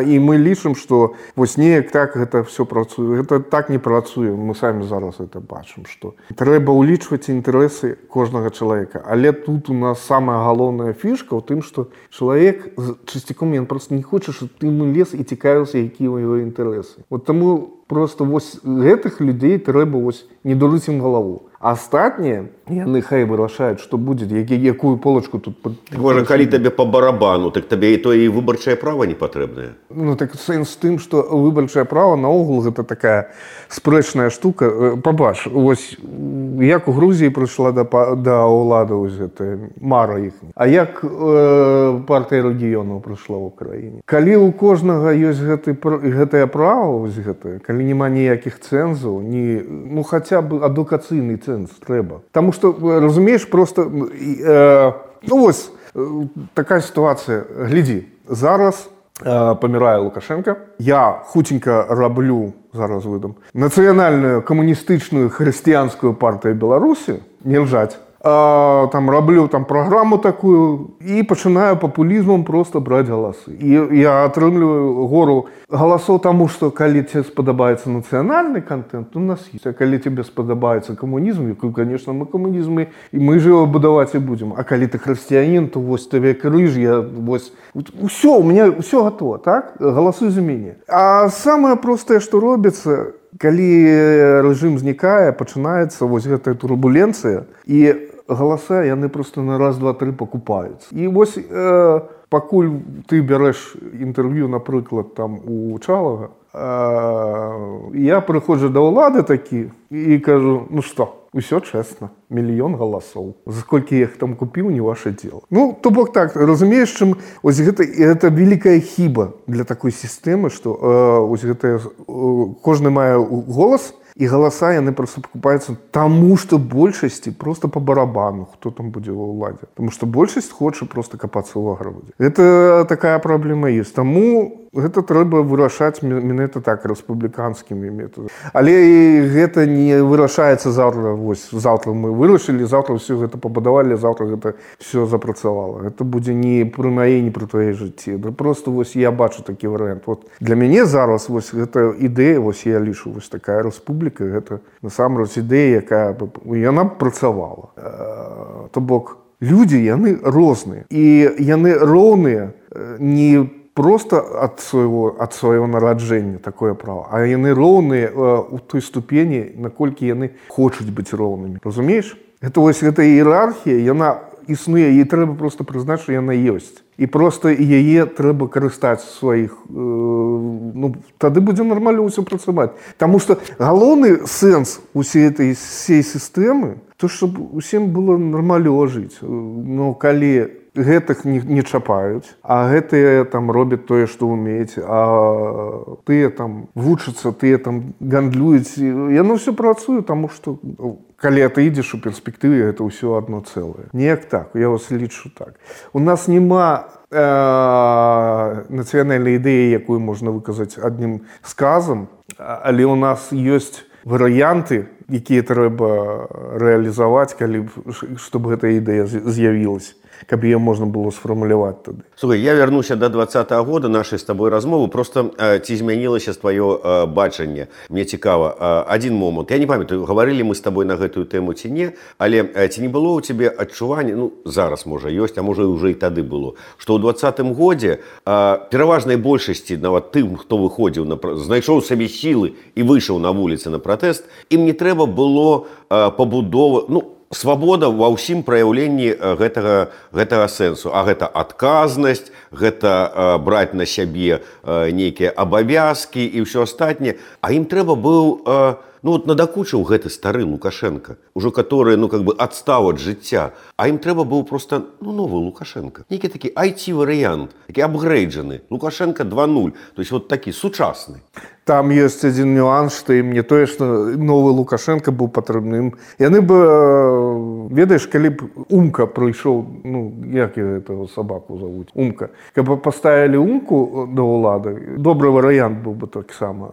І мы лічым, што вось неяк так гэта все працуе. Гэта так не працуе. Мы самі зараз гэта бачым, што трэба ўлічваць інтарэсы кожнага чалавека. Але тут у нас самая галоўная фішка ў тым, што чалавек часцяком ён просто не хоча, щоб ты ему лез і цікавіўся, якія ў яго інтарэсы. Вот таму просто вось гэтых людзей трэба вось не дурыць ім галаву. А астатнія, яны хай вырашаюць, што будзе, якую полачку тут... Можа, калі табе па барабану, так табе і то і выбарчае права не патрэбнае. Ну, так сэнс тым, што выбарчае права наогул гэта такая спрэчная штука. Пабач, вось як у Грузіі прыйшла да, да ўлады вось гэта мара іх. А як э, партыя рэгіёнаў прыйшла ў краіне? Калі ў кожнага ёсць гэты, гэтае права, вось гэтае, калі няма ніякіх цэнзаў, ні, ну, хаця б адукацыйны цэнз трэба. Таму што, разумееш, просто э, ну вось э, такая сітуацыя. Глядзі, зараз э, памірае Лукашенко. Я хутенька раблю, зараз выдам, нацыянальную камуністычную хрысціянскую партыю Беларусі, не лжаць. А, там раблю там праграму такую і пачынаю папулізмам просто браць галасы. І я атрымліваю гору галасоў таму, што калі тебе спадабаецца нацыянальны контент, у нас есть. А калі тебе спадабаецца камунізм, якую, конечно, мы камунізм, і мы ж его будаваць і будзем. А калі ты хрысціянін, то вось тебе крыж, я вось... Усё, у меня ўсё готово, так? Галасуй за мяне. А самае простае, што робіцца, калі рэжым знікае, пачынаецца вось гэтая турбуленцыя, і галаса яны просто на раз, два, тры пакупаюцца. І вось э, пакуль ты бярэш інтэрв'ю, напрыклад, там у Чалага, э, я прыходжу да ўлады такі і кажу, ну што, усё чэсна, мільён галасоў. За колькі я іх там купіў, не ваше дело. Ну, то бок так, разумееш, чым ось гэта, гэта вялікая хіба для такой сістэмы, што э, ось гэта, э, кожны мае голас, і галаса яны просто пакупаюцца таму, што большасці просто по барабану, хто там будзе ва ўладзе. Таму што большасць хоча просто капацца ў аграводзе. Гэта такая праблема ёсць. Таму гэта трэба вырашаць менавіта так рэспубліканскімі метадамі. Але гэта не вырашаецца заўтра. Вось заўтра мы вырашылі, заўтра ўсё гэта пабудавалі, заўтра гэта все запрацавала. Гэта будзе не пры маей, не пры тваёй жыцці. Да просто вось я бачу такі варыянт. Вот для мяне зараз вось гэта ідэя, вось я лічу, вось такая рэспубліка, гэта насамрэч ідэя, якая яна б працавала. То бок людзі яны розныя і яны роўныя не просто ад свайго ад свайго нараджэння такое права, а яны роўныя у той ступені, наколькі яны хочуць быць роўнымі. Разумееш? Гэта вось гэта іерархія, яна існуе, і трэба просто прызнаць, што яна ёсць. І просто яе трэба карыстаць сваіх, э, ну, тады будзе нармальна ўсё працаваць. Таму што галоўны сэнс усей этой всей сістэмы, то, щоб усім было нармальна жыць. Ну, калі гэтых не, не чапаюць, а гэтыя там робяць тое, што ўмеюць, а тыя там вучацца, тыя там гандлююць, яно ўсё працуе, таму што калі ты ідзеш у перспектыве, гэта ўсё адно цэлае. Неяк так, я вас лічу так. У нас няма э, нацыянальнай ідэі, якую можна выказаць адным сказам, але у нас ёсць варыянты, якія трэба рэалізаваць, калі чтобы гэта ідэя з'явілася, каб ее можна было сфармуляваць тады. Слухай, я вярнуся до двадцатого года нашай з табой размовы. Просто э, ці змянілася тваё э, бачанне? Мне цікава. Э, адзін момант. Я не памятаю, гаварылі мы з табой на гэтую тэму ці не, але э, ці не было ў цябе адчування, ну, зараз, можа, ёсць, а можа, ўжо і тады было, што ў двадцатым годзе э, пераважнай большасці, нават тым, хто выходзіў, на, знайшоў сабе сілы і выйшаў на вуліцы на пратэст, ім не трэба было э, пабудова, ну, свабода ва ўсім праяўленні гэтага, гэтага сэнсу. А гэта адказнасць, гэта э, браць на сябе э, нейкія абавязкі і ўсё астатняе. А ім трэба быў, э, ну вот надакучыў гэты стары Лукашенко, ужо который, ну как бы адстаў ад жыцця. А ім трэба быў просто, ну, новы Лукашенко. Нейкі такі ай ти-варыянт, такі апгрейджаны. Лукашенко два нуль, то есть вот такі сучасны. Там ёсць адзін нюанс, што ім не тое, што новы Лукашенко быў патрэбным. Яны бы, ведаеш, калі б Умка прыйшоў, ну, як гэтага сабаку завуць, Умка, каб паставілі Умку да ўлады, добры варыянт быў бы таксама.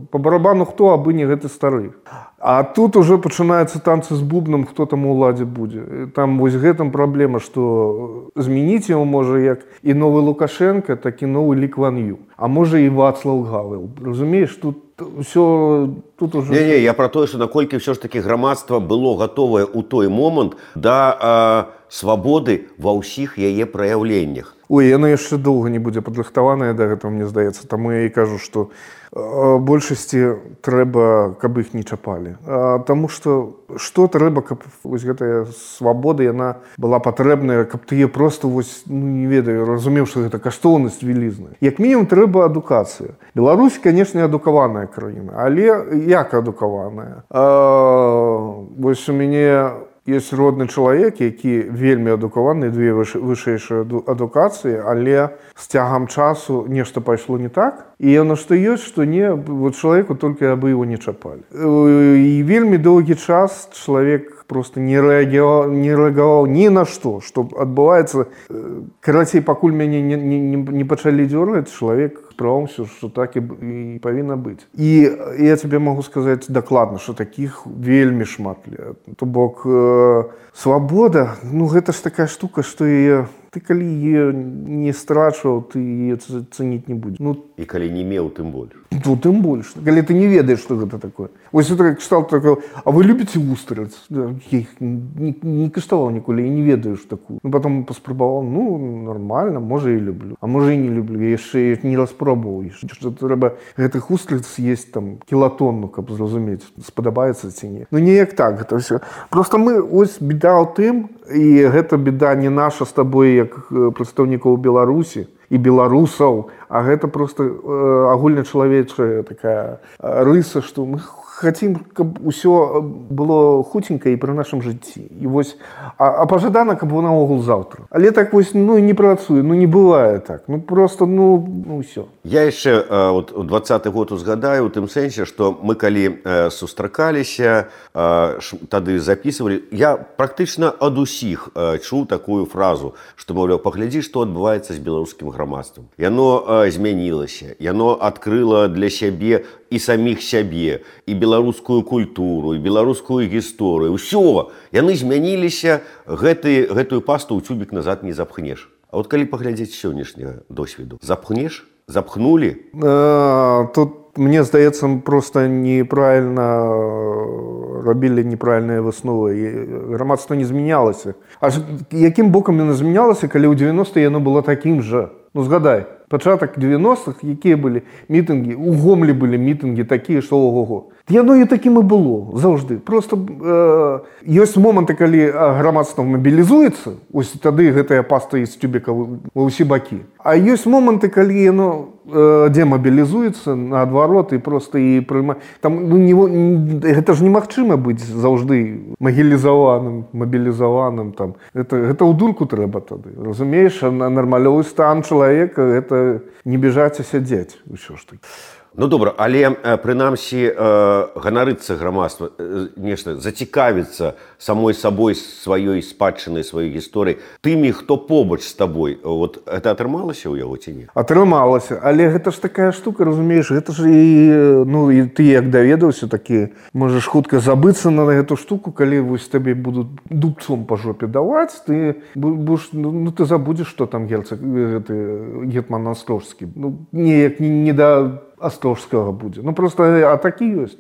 Па барабану хто, абы не гэты стары. А тут уже пачынаюцца танцы з бубнам, хто там у ўладзе будзе. Там вось гэтым праблема, што змяніць яго можа як і новы Лукашенко, так і новы Лі Кван Ю. А можа і Вацлаў Гавел. Разумееш, тут ўсё тут уже... Не-не, я пра тое, што наколькі ўсё ж такі грамадства было гатовае ў той момант да э, свабоды ва ўсіх яе праяўленнях. Ой, яна яшчэ доўга не будзе падрыхтаваная да гэтага, мне здаецца. Таму я і кажу, што э, большасці трэба, каб іх не чапалі. А, таму што што трэба, каб вось гэтая свабода, яна была патрэбная, каб ты просто вось, ну, не ведаю, разумеў, што гэта каштоўнасць вялізная. Як мінімум трэба адукацыя. Беларусь, канешне, адукаваная краіна, але як адукаваная? А, вось у мяне ёсць родны чалавек, які вельмі адукаваны, две вышэйшыя адукацыі, але з цягам часу нешта пайшло не так. І яно што ёсць, што не, вот чалавеку толькі абы его не чапалі. І вельмі доўгі час чалавек просто не рэагаваў, не рэагаваў ні на што, што адбываецца. Карацей, пакуль мяне не, не, не пачалі дзёргаць, чалавек справаўся, што так і, і павінна быць. І я тебе могу сказаць дакладна, што такіх вельмі шмат. То бок э, свабода, ну гэта ж такая штука, што яе ты калі яе не страчваў, ты яе цаніць не будзеш. Ну, і калі не меў, тым больш. Ну, тым больш. Калі ты не ведаеш, што гэта такое. Вось это кшталт такое, а вы любіце вустрац? Я іх не, не каштаваў ніколі, я не ведаю, што такую. Ну, потом паспрабаваў, ну, нормально, можа і люблю. А можа і не люблю, я яшчэ не распробаваў. Што трэба гэтых вустрац з'есць там кілатонну, каб зразумець, спадабаецца ці не. Ну, неяк так гэта ўсё. Просто мы, ось, беда ў тым, і гэта беда не наша з табой, як прадстаўнікоў Беларусі і беларусаў, а гэта просто э, агульначалавечая такая рыса, што мы хацім, каб усё было хуценька і пры нашым жыцці. І вось, а, а пажадана, каб наогул заўтра. Але так вось, ну, не працуе, ну, не бывае так. Ну, просто, ну, ну ўсё. Я яшчэ вот, у двадцаты год узгадаю у тым сэнсе, што мы калі э, сустракаліся, э, ш, тады записывалі, я практычна ад усіх э, чуў такую фразу, што, маўляў, паглядзі, што адбываецца з беларускім грамадствам. Яно э, змянілася, яно адкрыла для сябе і саміх сябе, і беларускую культуру, і беларускую гісторыю. Усё, яны змяніліся, гэты, гэтую пасту ў цюбік назад не запхнеш. А вот калі паглядзець сённяшняга досведу, запхнеш? Запхнули? А, тут, мне здаецца, просто неправільна рабілі неправільныя высновы. Грамадства не змянялася. А якім бокам яно змянялася, калі ў девяностыя яно было такім жа? Ну, згадай, пачатак девяностых, якія былі мітынгі, у Гомлі былі мітынгі такія, што ого-го. Яно і такім і было, заўжды. Просто э, ёсць моманты, калі грамадства мабілізуецца, ось тады гэтая паста з тюбіка ва ўсе бакі. А ёсць моманты, калі яно э, демабілізуецца, наадварот, і просто і прыма... Там, ну, не, гэта ж немагчыма быць заўжды магілізаваным, мабілізаваным. Там. Гэта, гэта ў дурку трэба тады. Разумееш, нармалёвы стан чалавека, гэта не бежаць, а сядзець. Усё ж такі. Ну, добра, але, прынамсі, э, ганарыцца грамадства, э, нешта, зацікавіцца самой сабой, сваёй спадчынай, сваёй гісторыі, тымі, хто побач з табой, вот, гэта атрымалася ў яго ці не? Атрымалася, але гэта ж такая штука, разумееш, гэта ж і, ну, і ты як даведаўся, такі, можаш хутка забыцца на гэту штуку, калі вось табе будуць дубцом па жопе даваць, ты будеш, ну, ты забудзеш, што там герцог, гэты, гетман Астрожскі, ну, неяк не, не да Астрожскага будзе. Ну, просто, а такі ёсць.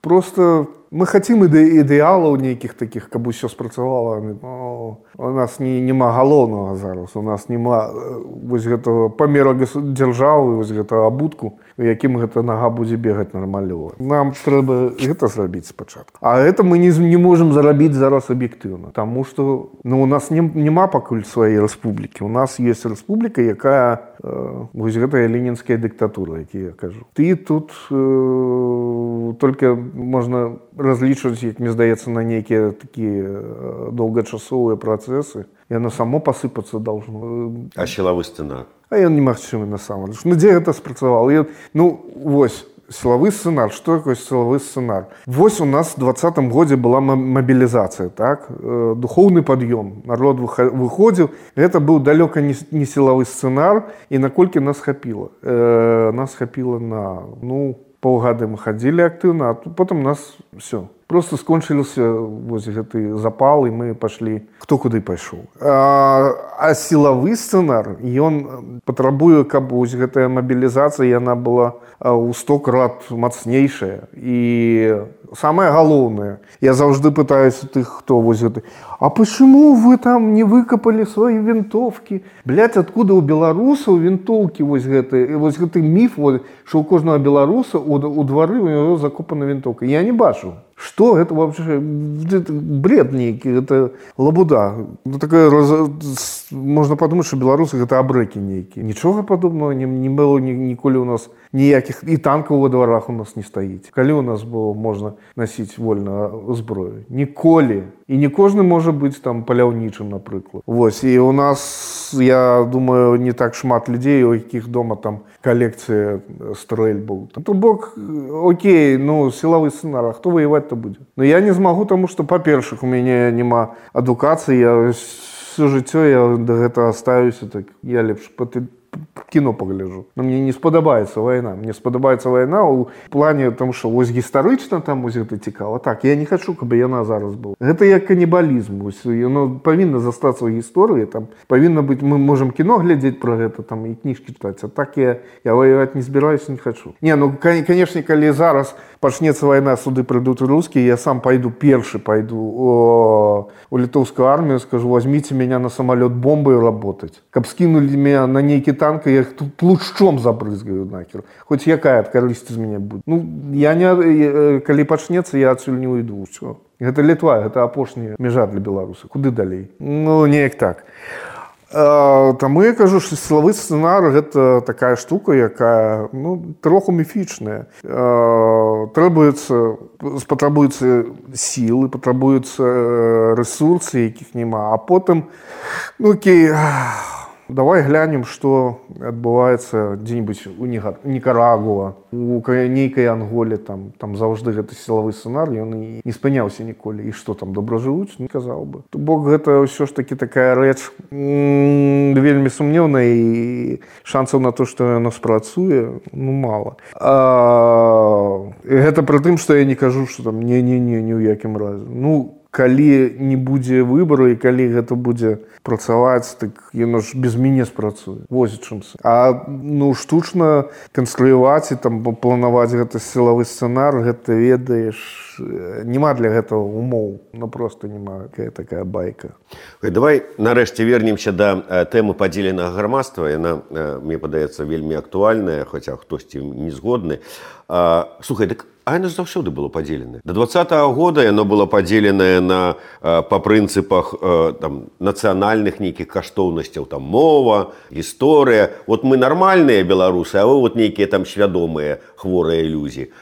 Просто мы хацім іде, ідэалаў нейкіх такіх, каб усё спрацавала. Ну, у нас не, нема галоўнага зараз, у нас нема вось гэтага памера дзяржавы, вось гэтага абутку, у якім гэта нага будзе бегаць нармалёва. Нам трэба гэта зрабіць спачатку. А гэта мы не, не можам зарабіць зараз аб'ектыўна, таму што, ну, у нас не, нема пакуль сваёй рэспублікі. У нас ёсць рэспубліка, якая э, вось гэтая ленінская дыктатура, які я кажу. Ты тут э, толькі можна разлічваць, як мне здаецца, на нейкія такія доўгачасовыя працэсы. Яно само пасыпацца должно. А сілавы сцэнар? А ён немагчымы насамрэч. Ну, дзе гэта спрацавала? Я, ну, вось, сілавы сцэнар. Што такое сілавы сцэнар? Вось у нас в двадцатым годзе была мабілізацыя, так? Духоўны пад'ём. Народ выходзіў. Гэта быў далёка не, не сілавы сцэнар. І наколькі нас хапіла? Э, нас хапіла на, ну, паўгады мы хадзілі актыўна, а потым нас все. Просто скончыліся вось гэты запал, і мы пашлі, хто куды пайшоў. А, а сілавы сцэнар, ён патрабуе, каб вось гэтая мабілізацыя, яна была ў сто крат мацнейшая. І самае галоўнае, я заўжды пытаюся тых, хто вось гэты, а почему вы там не выкапалі свои вінтовкі? Блядь, откуда у беларусаў вінтоўкі вось гэты, вось гэты міф, вот, што ў кожнага беларуса у, у двары у него закопана вінтоўка. Я не бачу. Что это вообще? Это бред нейкі, это лабуда. Ну, такая, можно подумать, что белорусы это абрэкі нейкі. Нічога падобного не, не было ні, ніколі у нас ніякіх, і танкаў во дворах у нас не стаіць. Калі у нас было можна носіць вольна зброю? Ніколі. І не кожны можа быць там паляўнічым, напрыклад. Вось, і у нас, я думаю, не так шмат людзей, у якіх дома там колекція стрэльбаў. То бок, окей, ну, сілавы сцэнар, а хто воеваць-то будзе? Ну, я не змагу, таму што, па-першых, у мяне няма адукацыі, я всё жыццё я да гэтага ставіўся, так я лепш кіно пагляджу. Но мне не спадабаецца вайна. Мне спадабаецца вайна ў плане, тому што вось гістарычна там вось гэта цікава. Так, я не хачу, каб яна зараз была. Гэта як канібалізм. Вось, яно павінна застацца ў гісторыі. Там павінна быць, мы можам кіно глядзець пра гэта, там і кніжкі чытаць. А так я, я ваяваць не збіраюся, не хачу. Не, ну, канешне, калі зараз пачнецца вайна, суды прыйдуць рускія, я сам пайду, першы пайду о, у літоўскую армію, скажу, возьмите меня на самолет бомбой работать. Каб скинули меня на нейкі танк, я их тут лучом забрызгаю нахер. Хоть якая карысць з мяне будзе. Ну, я не, калі пачнецца, я адсюль не уйду. Все. Гэта Літва, гэта апошняя мяжа для беларуса. Куды далей? Ну, неяк так. Таму я кажу, што сілавы сцэнар гэта такая штука, якая ну, троху міфічная. Требуецца, спатрабуюцца сілы, патрабуюцца рэсурсы, якіх няма, а потым ну окей, давай глянем, што адбываецца дзе-нибудь у Нікарагуа, у нейкай Анголе, там, там заўжды гэты сілавы сцэнар, ён і не спыняўся ніколі. І што там, добра жывуць? Не казаў бы. То бок гэта ўсё ж такі такая рэч м- вельмі сумнеўная і шансаў на то, што яно спрацуе, ну, мала. А, гэта пры тым, што я не кажу, што там не-не-не, ні ў якім разе. Ну, калі не будзе выбару і калі гэта будзе працаваць, так яно ж без мяне спрацуе. Вось чым. А ну штучна канструяваць і там планаваць гэта сілавы сцэнар, гэта ведаеш, няма для гэтага умоў. Ну проста няма такая байка. Давай нарэшце вернемся да тэмы падзеленага грамадства. Яна, мне падаецца, вельмі актуальная, хаця хтосьці не згодны. Слухай, дык а яно заўсёды было падзеленае. Да двадцатага года яно было падзеленае на, па прынцыпах там, нацыянальных нейкіх каштоўнасцяў, там мова, гісторыя. Вот мы нармальныя беларусы, а вы вот нейкія там свядомыя хворыя ілюзіі.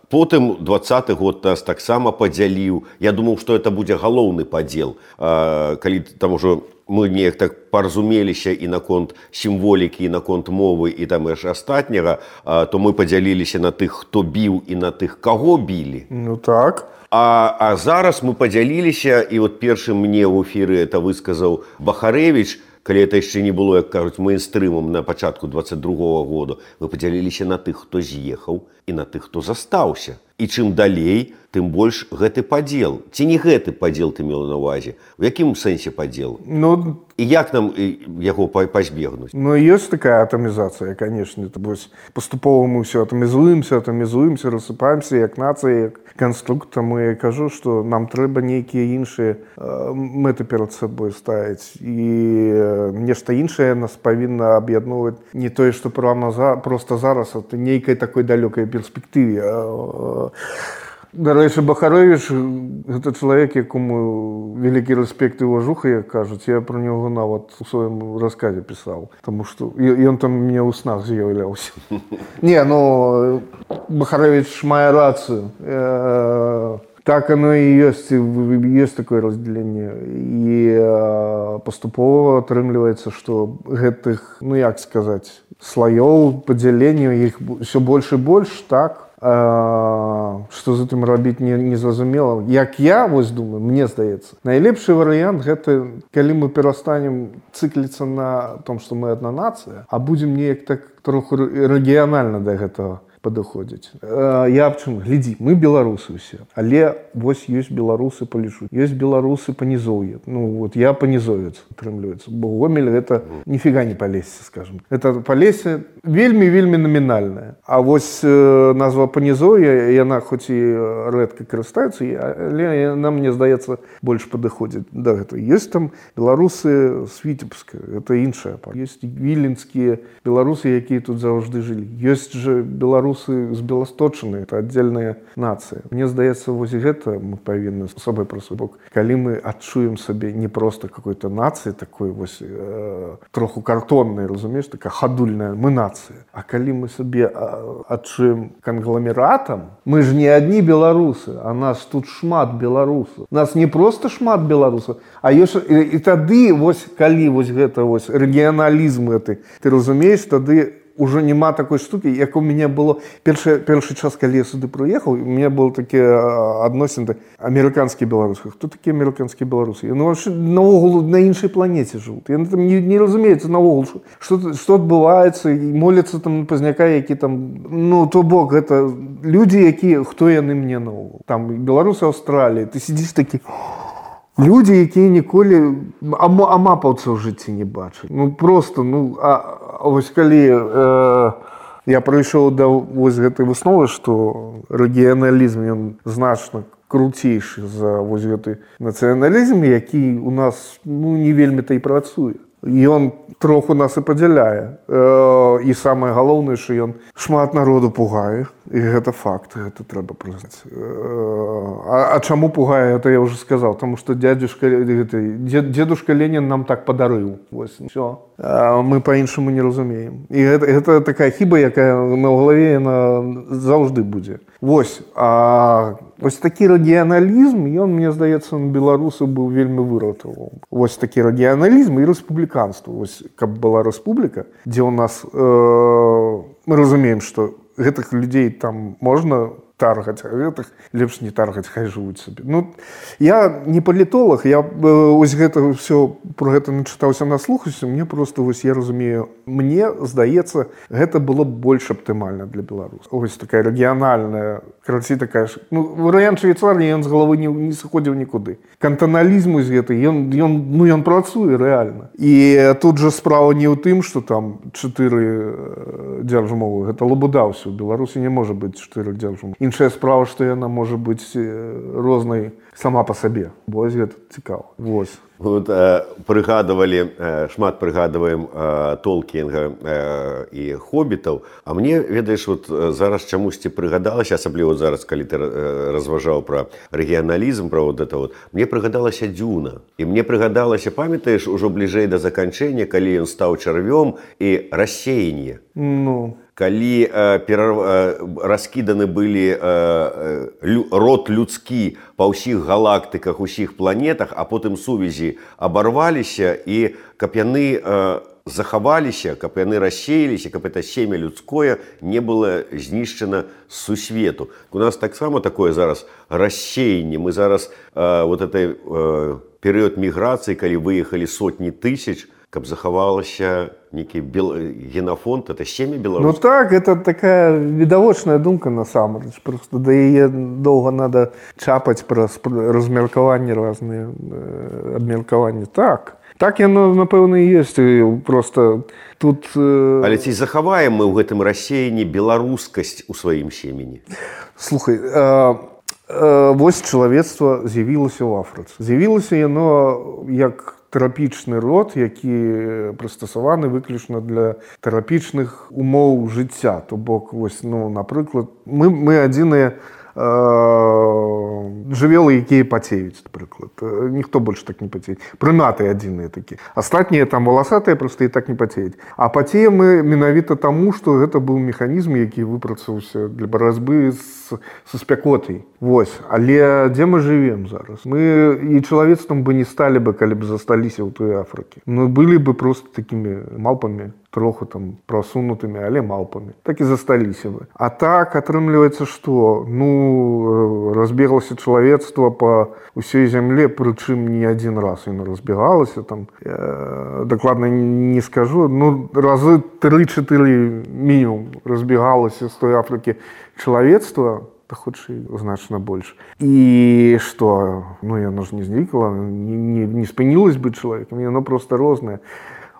Потым двадцаты год нас таксама падзяліў. Я думаў, што это будзе галоўны падзел. Калі там ужо мы неяк так паразумеліся і наконт сімволікі, і наконт мовы, і там яшчэ астатняга, то мы падзяліліся на тых, хто біў, і на тых, каго білі. Ну так. А, а зараз мы падзяліліся, і от першым мне ў эфіры это высказаў Бахарэвіч, калі это яшчэ не было, як кажуць, мейнстрымам на пачатку двадцать другога года, мы падзяліліся на тых, хто з'ехаў, і на тых, хто застаўся. І чым далей, тым больш гэты падзел. Ці не гэты падзел ты мела на ўвазе? У якім сэнсе падзел? Ну, і як нам яго пазбегнуць? Ну, ёсць такая атамізацыя, канешне. Паступова мы ўсё атамізуемся, атамізуемся, рассыпаемся, як нацыя, як канструктор. Таму я кажу, што нам трэба нейкія іншыя мэты перад сабой ставіць. І нешта іншае нас павінна аб'ядноўваць не тое, што проста зараз, а нейкай такой далёкай перспектыве. Дарэчы, Бахарэвіч – гэта чалавек, якому вялікі рэспект і уважуха, як кажуць. Я пра него нават у сваім расказе пісаў, таму што ён там мне ў снах з'яўляўся. Не, ну, Бахарэвіч мае рацыю. Так оно і ёсць, ёсць такое раздзяленне. І паступова атрымліваецца, што гэтых, ну як сказаць, слаёў, падзяленняў, іх ўсё больш і больш, так? А, што з гэтым рабіць не, не зразумела. Як я вось думаю, мне здаецца, найлепшы варыянт гэта калі мы перастанем цыкліцца на том, што мы адна нацыя, а будзем неяк так троху рэгіянальна да гэтага падыходзіць. А, я аб чым? Глядзі, мы беларусы ўсе, але вось ёсць беларусы па лічу, ёсць беларусы па нізоўі. Ну вот я па нізовец атрымліваецца, бо Гомель гэта ніфіга не Палессе, скажем. Это Палессе вельмі-вельмі намінальная. А вось э, назва панізоўя, яна хоць і рэдка карыстаецца, але яна, мне здаецца, больш падыходзіць да гэтага. Ёсць там беларусы з Віцебска, гэта іншая пара. Ёсць віленскія беларусы, якія тут заўжды жылі. Ёсць жа беларусы з Беласточыны, это аддзельная нацыя. Мне здаецца, вось гэта мы павінны з сабой пра свой бок. Калі мы адчуем сабе не проста какой-то нацыі, такой вось э, троху картоннай, разумееш, такая хадульная, мы нацыя. А калі мы сабе адчуем кангламератам, мы ж не адні беларусы, а нас тут шмат беларусаў. Нас не проста шмат беларусаў, а ёсць і, і тады вось калі вось гэта вось рэгіяналізм гэты, ты разумееш, тады уже няма такой штукі, як у мяне было першы, першы час, калі я сюды прыехаў, у мяне было такія адносіны амерыканскія беларусы. Хто такія амерыканскія беларусы? Яны вообще наогул на іншай планеце жывуць. Яны там не, не разумеюцца наогул, што, што адбываецца, і моляцца там на пазняка, які там, ну, то бок, гэта людзі, якія, хто яны мне наогул. Там беларусы Аўстраліі, ты сидзіш такі... Людзі, якія ніколі амапаўца ў жыцці не бачаць. Ну, просто, ну, а, а вось калі э, я прыйшоў да вось гэтай высновы, што рэгіяналізм, ён значна круцейшы за вось гэты нацыяналізм, які у нас, ну, не вельмі-то і працуе. Ён троху нас і падзяляе. І самае галоўнае, што ён шмат народу пугае, і гэта факт, гэта трэба прызнаць. А, а чаму пугае, это я ўжо сказаў, таму што дядзюшка, дзедушка Ленін нам так падарыў. Вось, всё. А мы па-іншаму не разумеем. І гэта, гэта такая хіба, якая на галаве яна заўжды будзе. Вось, а вось такі рэгіяналізм, ён, мне здаецца, на беларусаў быў вельмі выратаваў. Вось такі рэгіяналізм і рэспубліканства. Вось, каб была рэспубліка, дзе ў нас, э, мы разумеем, што гэтых людзей там можна таргаць, а гэтых лепш не таргаць, хай жывуць сабе. Ну, я не палітолог, я вось гэта ўсё про гэта начытаўся, наслухаўся, мне просто вось я разумею, мне здаецца, гэта было б больш аптымальна для беларусаў. Вось такая рэгіянальная, карацей такая ж, ну, варыянт Швейцарыі, ён з галавы не, не сыходзіў нікуды. Кантаналізм з гэтай, ён, ён, ну, ён працуе рэальна. І тут жа справа не ў тым, што там чатыры дзяржмовы, гэта лабуда ўсё. У Беларусі не можа быць чатыры дзяржмовы. Іншая справа, што яна можа быць рознай сама па сабе. Вось гэта цікава. Вось. Вот, э, прыгадывалі, э, шмат прыгадваем э, Толкінга э, і хобітаў. А мне, ведаеш, вот, зараз чамусьці прыгадалася, асабліва зараз, калі ты э, разважаў пра рэгіяналізм, пра вот это вот, мне прыгадалася Дзюна. І мне прыгадалася, памятаеш, ужо бліжэй да заканчэння, калі ён стаў чарвём, і рассеянне. Ну... Калі э, перар... э, раскіданы былі э, лю... род людскі па ўсіх галактыках, усіх планетах, а потым сувязі абарваліся, і каб яны э, захаваліся, каб яны рассеяліся, каб это семя людское не было знішчана з сусвету. У нас таксама такое зараз рассеянне. Мы зараз э, вот этой э, перыяд міграцыі, калі выехалі сотні тысяч, каб захавалася нейкі бел... генафонд, это семя беларусаў. Ну так, это такая відавочная думка насамрэч. Просто да яе доўга надо чапаць праз размеркаванні разныя, абмеркаванні. Так, так яно, напэўна, і ёсць. Просто тут... Але ці захаваем мы ў гэтым рассеянні беларускасць у сваім семені? Слухай, а... вось чалавецтва з'явілася ў Афрыцы. З'явілася яно як тэрапічны род, які прыстасаваны выключна для тэрапічных умоў жыцця. То бок, вось, ну, напрыклад, мы, мы адзіныя жывёлы, якія пацеюць, напрыклад. Ніхто больш так не пацеюць. Прыматы адзіныя такія. Астатнія там валасатыя проста і так не пацеюць. А пацеем мы менавіта таму, што гэта быў механізм, які выпрацаваўся для барацьбы з, са спякотай. Вось. Але дзе мы жывем зараз? Мы і чалавецтвам бы не сталі бы, калі б засталіся ў той Афрыкі. Мы былі бы проста такімі малпамі, троху там просунутымі, але малпамі. Так і засталіся бы. А так, атрымліваецца, што? Ну, разбеглася чалавецтва па ўсёй зямле, прычым не адзін раз яно разбегалася. Там, э, дакладна не скажу, ну, разы тры-чатыры мінімум разбегалася з той Афрыкі чалавецтва, да хутчэй значна больш. І што? Ну, яно ж не знікла, не, не, не спынілась бы чалавекам, яно проста рознае.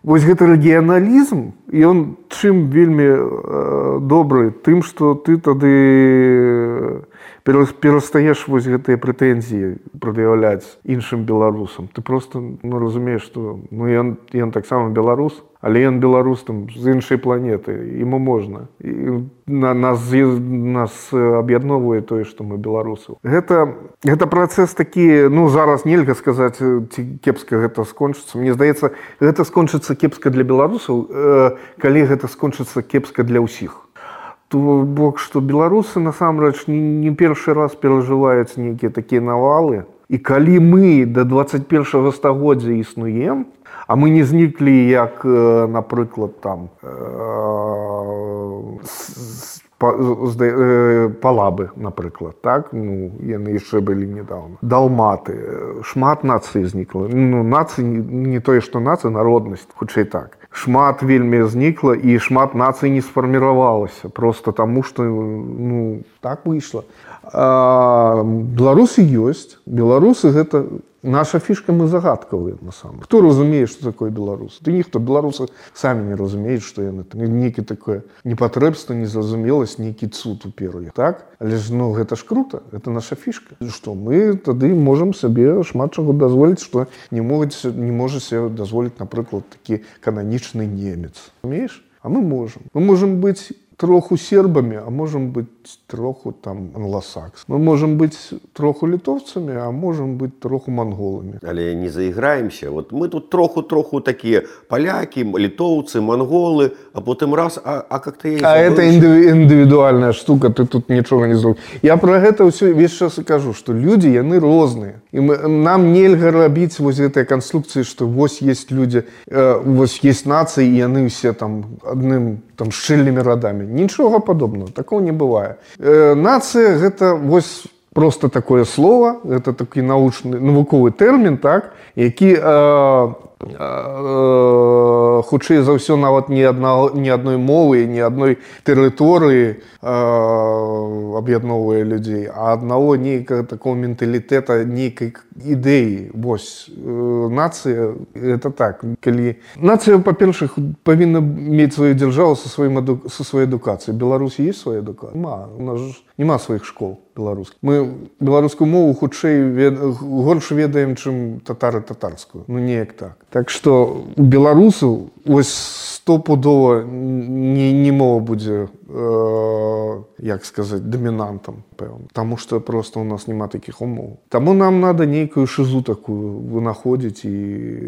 Вось гэты рэгіяналізм, ён чым вельмі э, добры, тым, што ты тады перастаеш вось гэтыя прэтэнзіі прад'яўляць іншым беларусам. Ты просто, ну, разумееш, што, ну, ён, ён таксама беларус, але ён беларус там з іншай планеты, яму можна. І на, нас, нас аб'ядноўвае тое, што мы беларусаў. Гэта, гэта працэс такі, ну, зараз нельга сказаць, ці кепска гэта скончыцца. Мне здаецца, гэта скончыцца кепска для беларусаў, э, калі гэта скончыцца кепска для ўсіх. То бок, што беларусы насамрэч не, не першы раз перажываюць нейкія такія навалы. І калі мы да дваццаць першага стагоддзя існуем, а мы не зніклі, як, напрыклад, там, палабы, напрыклад, так? Ну, яны яшчэ былі недавно. Далматы, шмат нацый знікла. Ну, нацый, не тое, што нацыя, народнасць, хутчэй так. Шмат вельмі знікла, і шмат нацый не сфарміравалася, просто таму, што, ну, так выйшла. А беларусы ёсць. Беларусы гэта, Наша фішка, мы загадкавыя, насамрэч. Хто разумее, што такое беларусы? Ды ніхто. Беларусы самі не разумеюць, што яны. Нейкі такое непатрэбства, незразумеласць, нейкі цуд уперу. Так? Але ж, ну, гэта ж круто. Гэта наша фішка. Што мы тады можам сабе шмат чаго дазволіць, што не могуць, не можа себе дазволіць, напрыклад, такі кананічны немец. Разумееш? А мы можам. Мы можам быць троху сербами, а можем быть троху там англосакс. Мы можем быть троху литовцами, а можем быть троху монголами. Але не заиграемся. Вот мы тут троху-троху такие поляки, литовцы, монголы, а потом раз, а, а как-то... Я а это индивидуальная штука, ты тут ничего не сделал. Я про это все весь час и кажу, что люди, яны розныя. И мы, нам нельга рабіць вось этой конструкции, что вось есть люди, э, вось есть нации, и яны все там одним там шчыльными родами. Ничего подобного, такого не бывает. Э, нация это вось просто такое слово, это такой научный, навуковый термин, так, які э, э, хутчэй за ўсё нават ні адна, ні адной мовы, ні адной тэрыторыі э, аб'ядноўвае людзей, а аднаго нейкага такого менталітэта, нейкай ідэі. Вось э, нацыя это так. Калі нацыя, па-першых, павінна мець сваю дзяржаву са сваім аду... са сваёй адукацыяй. Беларусі есть свая адукацыя? Нема. У нас ж нема сваіх школ беларускіх. Мы беларускую мову хутчэй вед... горш ведаем, чым татары татарскую. Ну неяк так. Так што у беларусаў вось стопудова не, не мова будзе, э, як сказаць, дамінантам, пэўна. Таму што проста у нас няма такіх умоў. Таму нам надо нейкую шизу такую вынаходзіць і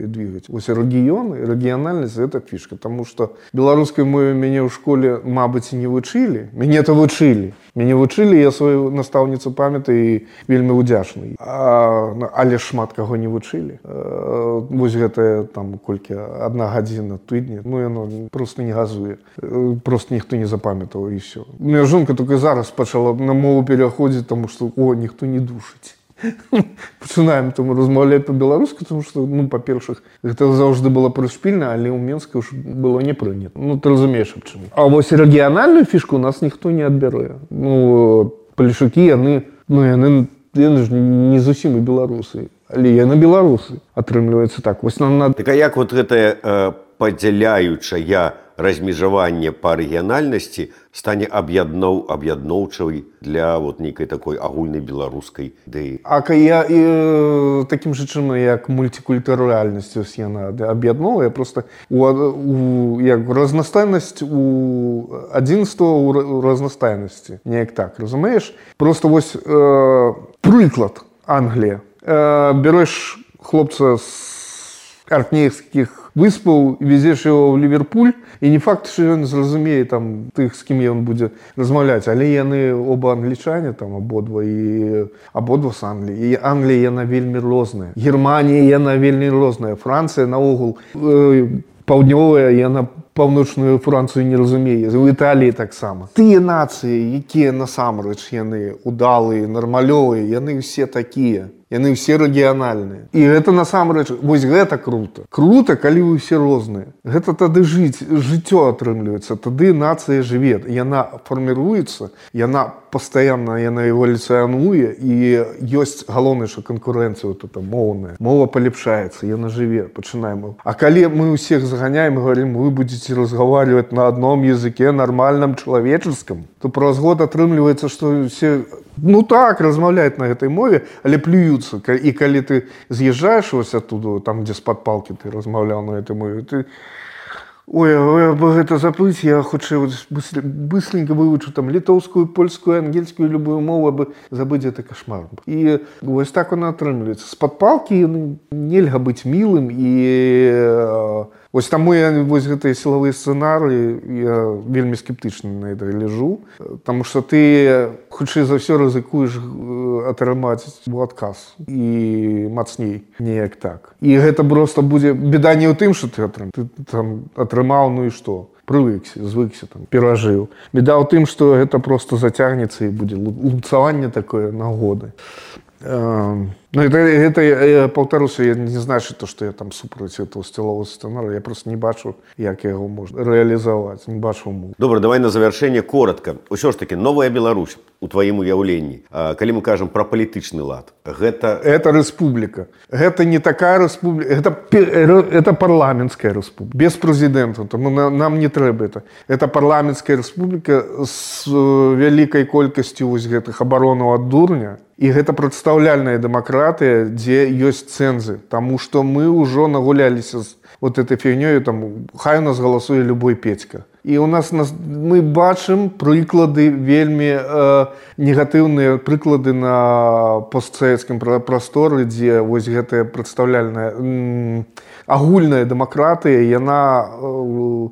двигаць. Вось рэгіёны, рэгіянальнасць — гэта фішка. Таму што беларускай мове мяне ў школе, мабыць, не вучылі. Мяне-то вучылі. Мяне вучылі, я сваю настаўніцу памятаю і вельмі ўдзячны. А, але шмат каго не вучылі. Э, вось гэтая там колькі адна гадзіна тыдня, ну яно просто не газуе. Просто ніхто не запамятаў і все. У меня жонка только зараз пачала на мову пераходзіць, тому што о, ніхто не душыць. Пачынаем там размаўляць па-беларуску, тому што, ну, па-першых, гэта заўжды было прышпільна, але ў Менску ж было не прынята. Ну, ты разумееш, аб чым. А вось рэгіянальную фішку у нас ніхто не адбярэ. Ну, палешукі, яны, ну, яны, яны ж не зусім і беларусы. Але яны беларусы, атрымліваецца так. Вось нам надо... Так а як вот гэтае э, падзяляючае размежаванне па рэгіянальнасці стане аб'ядноў, аб'ядноўчай для вот нейкай такой агульнай беларускай ідэі? А я і, таким же чынам, як мультикультуральнасць яна аб'ядноўвае, просто у, у, як разнастайнасць у адзінства у разнастайнасці. Неяк так, разумееш? Просто вось э, прыклад Англія. Э, береш хлопца з Аркнейскіх выспаў, везеш его ў Ліверпуль, і не факт, што ён зразумее там тых, з кім ён будзе размаўляць, але яны оба англічане, там абодва і абодва з Англіі. І Англія яна вельмі розная. Германія яна вельмі розная. Францыя наогул э, паўднёвая, яна паўночную Францыю не разумее. У Італіі таксама. Тыя нацыі, якія насамрэч яны удалыя, нармалёвыя, яны ўсе такія. Яны ўсе рэгіянальныя. І гэта насамрэч, вось гэта круто. Круто, калі вы ўсе розныя. Гэта тады жыць, жыццё атрымліваецца. Тады нацыя жыве. Яна фарміруецца, яна пастаянна, яна эвалюцыянуе, і ёсць галоўнае, што канкурэнцыя вот эта моўная. Мова палепшаецца, яна жыве. Пачынаем. А калі мы ўсіх заганяем і говорим, вы будете разговаривать на одном языке, нормальном, человеческом, то праз год атрымліваецца, што все, ну так, размаўляюць на гэтай мове, але плююцца. І калі ты з'язджаеш вось оттуда, там, дзе з-пад палкі ты размаўляў на гэтай мове, ты... Ой, ой, або гэта забыць, я хутчэй быстренько вывучу там літоўскую, польскую, ангельскую, любую мову, абы забыць гэта кашмар. І вось так вона атрымліваецца. З-пад палкі нельга быць мілым, і вось таму я вось гэтыя сілавыя сцэнарыі, я вельмі скептычна на гэта лежу, таму што ты хутчэй за ўсё рызыкуеш атрымаць адказ і мацней, неяк так. І гэта проста будзе беда не ў тым, што ты атрымаў, ты там атрымаў, ну і што? Прывыкся, звыкся, там, перажыў. Беда ў тым, што гэта проста зацягнецца і будзе лупцаванне такое нагоды. Ну, это, это я паўтаруся, я не значит то, что я там супраць этого сцілового сцэнарыя, я просто не бачу, як яго можна рэалізаваць, не бачу умоў. Добра, давай на завяршэнне коротка. Усё ж таки, новая Беларусь у тваім уяўленні, калі мы кажам пра палітычны лад, гэта... Это рэспубліка. Гэта не такая рэспубліка, это, это парламенцкая рэспубліка, без прэзідэнта, тому нам не трэба это. Это парламенцкая рэспубліка з вялікай колькасцю вось гэтых абаронаў ад дурня, і гэта прадстаўляльная дэмакратыя, дзе ёсць цэнзы, таму што мы ўжо нагуляліся з вот этой фігнёю, там, хай у нас галасуе любой Петька. І у нас, нас мы бачым прыклады вельмі э, негатыўныя прыклады на постсавецкім прасторы, дзе вось гэтая прадстаўляльная м, агульная дэмакратыя, яна э,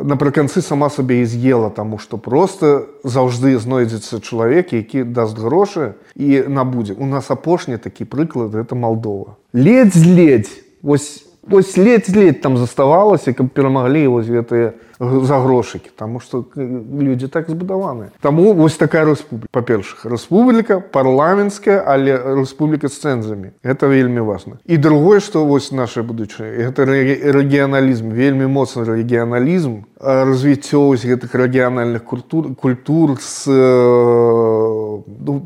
напрыканцы сама сабе і з'ела, таму што проста заўжды знойдзецца чалавек, які даст грошы і набудзе. У нас апошні такі прыклад, гэта Малдова. Ледзь-ледзь, вось Вось ледзь-ледзь там заставалася, каб перамаглі вось гэтыя загрошыкі, таму што людзі так збудаваныя. Таму вось такая рэспубліка. Па-першых, рэспубліка парламенцкая, але рэспубліка з цэнзамі. Гэта вельмі важна. І другое, што вось наша будучыня, гэта рэгіяналізм, вельмі моцны рэгіяналізм, развіццё вось гэтых рэгіянальных культур, культур з...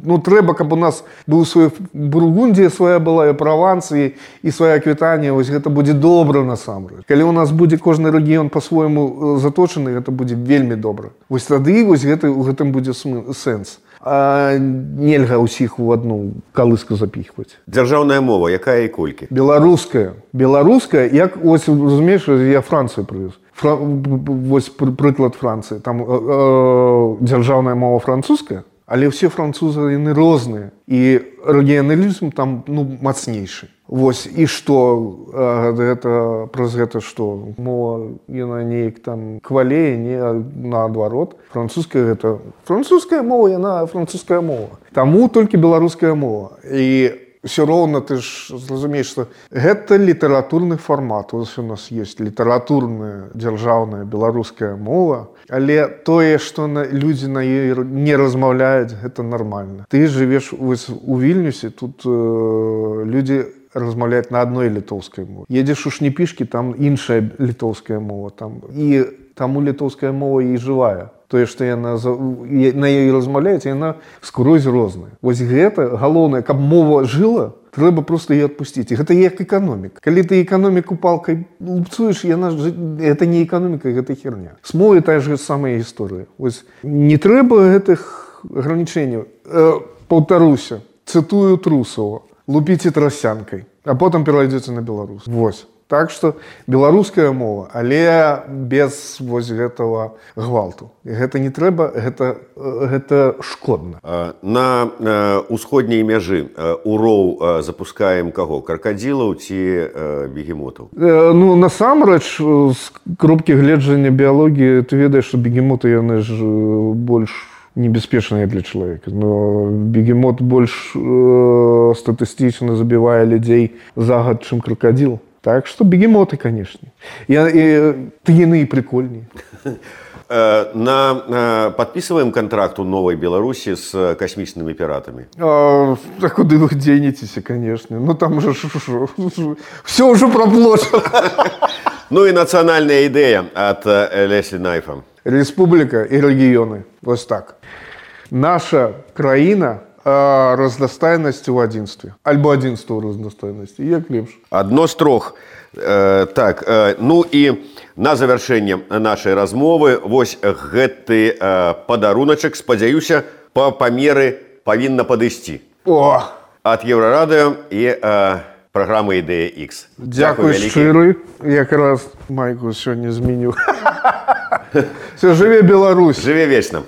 Ну, трэба, каб у нас быў свой Бургундія свая была, і Правансія, і свая Аквітанія, вось гэта будзе добра насамрэч. Калі у нас будзе кожны рэгіён па-свойму заточаны, гэта будзе вельмі добра. Вось тады вось гэта, у гэтым будзе сэнс. А нельга ўсіх у адну калыску запіхваць. Дзяржаўная мова, якая і колькі? Беларуская. Беларуская, як, ось, разумееш, я Францыю прывез. Фра... Вось прыклад Францыі. Там э, э, дзяржаўная мова французская, але ўсе французы, яны розныя. І рэгіяналізм там, ну, мацнейшы. Вось, і што, гэта, праз гэта што? Мова, яна неяк там квалее, не наадварот. Французская гэта... Французская мова, яна французская мова. Таму толькі беларуская мова. І ўсё роўна ты ж зразумееш, што гэта літаратурны фармат. Вось у нас ёсць літаратурная, дзяржаўная беларуская мова, але тое, што на, людзі на ёй не размаўляюць, гэта нармальна. Ты жывеш вось у Вільнюсе, тут э, людзі размаўляюць на адной літоўскай мове. Едзеш у Шніпішкі, там іншая літоўская мова. Там. І таму літоўская мова і жывая. Тое, што яна на ёй размаўляюць, яна скрозь розная. Вось гэта галоўнае, каб мова жыла, трэба проста яе адпусціць. І гэта як эканоміка. Калі ты эканоміку палкай лупцуеш, яна ж... гэта не эканоміка, гэта херня. З мовай тая ж самая гісторыя. Вось не трэба гэтых агранічэнняў. Э, паўтаруся, цытую Трусова. Лупіце трасянкай, а потым перайдзеце на беларус. Вось. Так што беларуская мова, але без вось гэтага гвалту. І гэта не трэба, гэта, гэта шкодна. На ўсходняй мяжы у роў запускаем каго? Кракадзілаў ці бегемотаў? Ну, насамрэч, з кропкі гледжання біялогіі, ты ведаеш, што бегемоты, яны ж больш небяспечныя для чалавека. Но бегемот больш э, статыстычна забівае людзей за год, чым кракадзіл. Так што бегемоты, канешне. І, і, ты яны і прикольней. На, подписываем контракт у новой Беларуси с космическими пиратами? А, так куды вы денетесь, конечно. Ну там же все уже проплачено. Ну и национальная идея от Лесли Найфа. Республика и регионы. Вот так. Наша краіна а, разнастайнасць у адзінстве. Альбо адзінства ў разнастайнасці. Як лепш. Адно з трох. Э, так, э, ну і на завяршэнне нашай размовы вось гэты э, падаруначак, спадзяюся, па памеры павінна падысці. О! Ад Еўрарадыё і э, праграмы Ідэя Ікс. Дзякуй шчыры. Якраз майку сёння змяніў. Все, жыве Беларусь. Жыве вечна.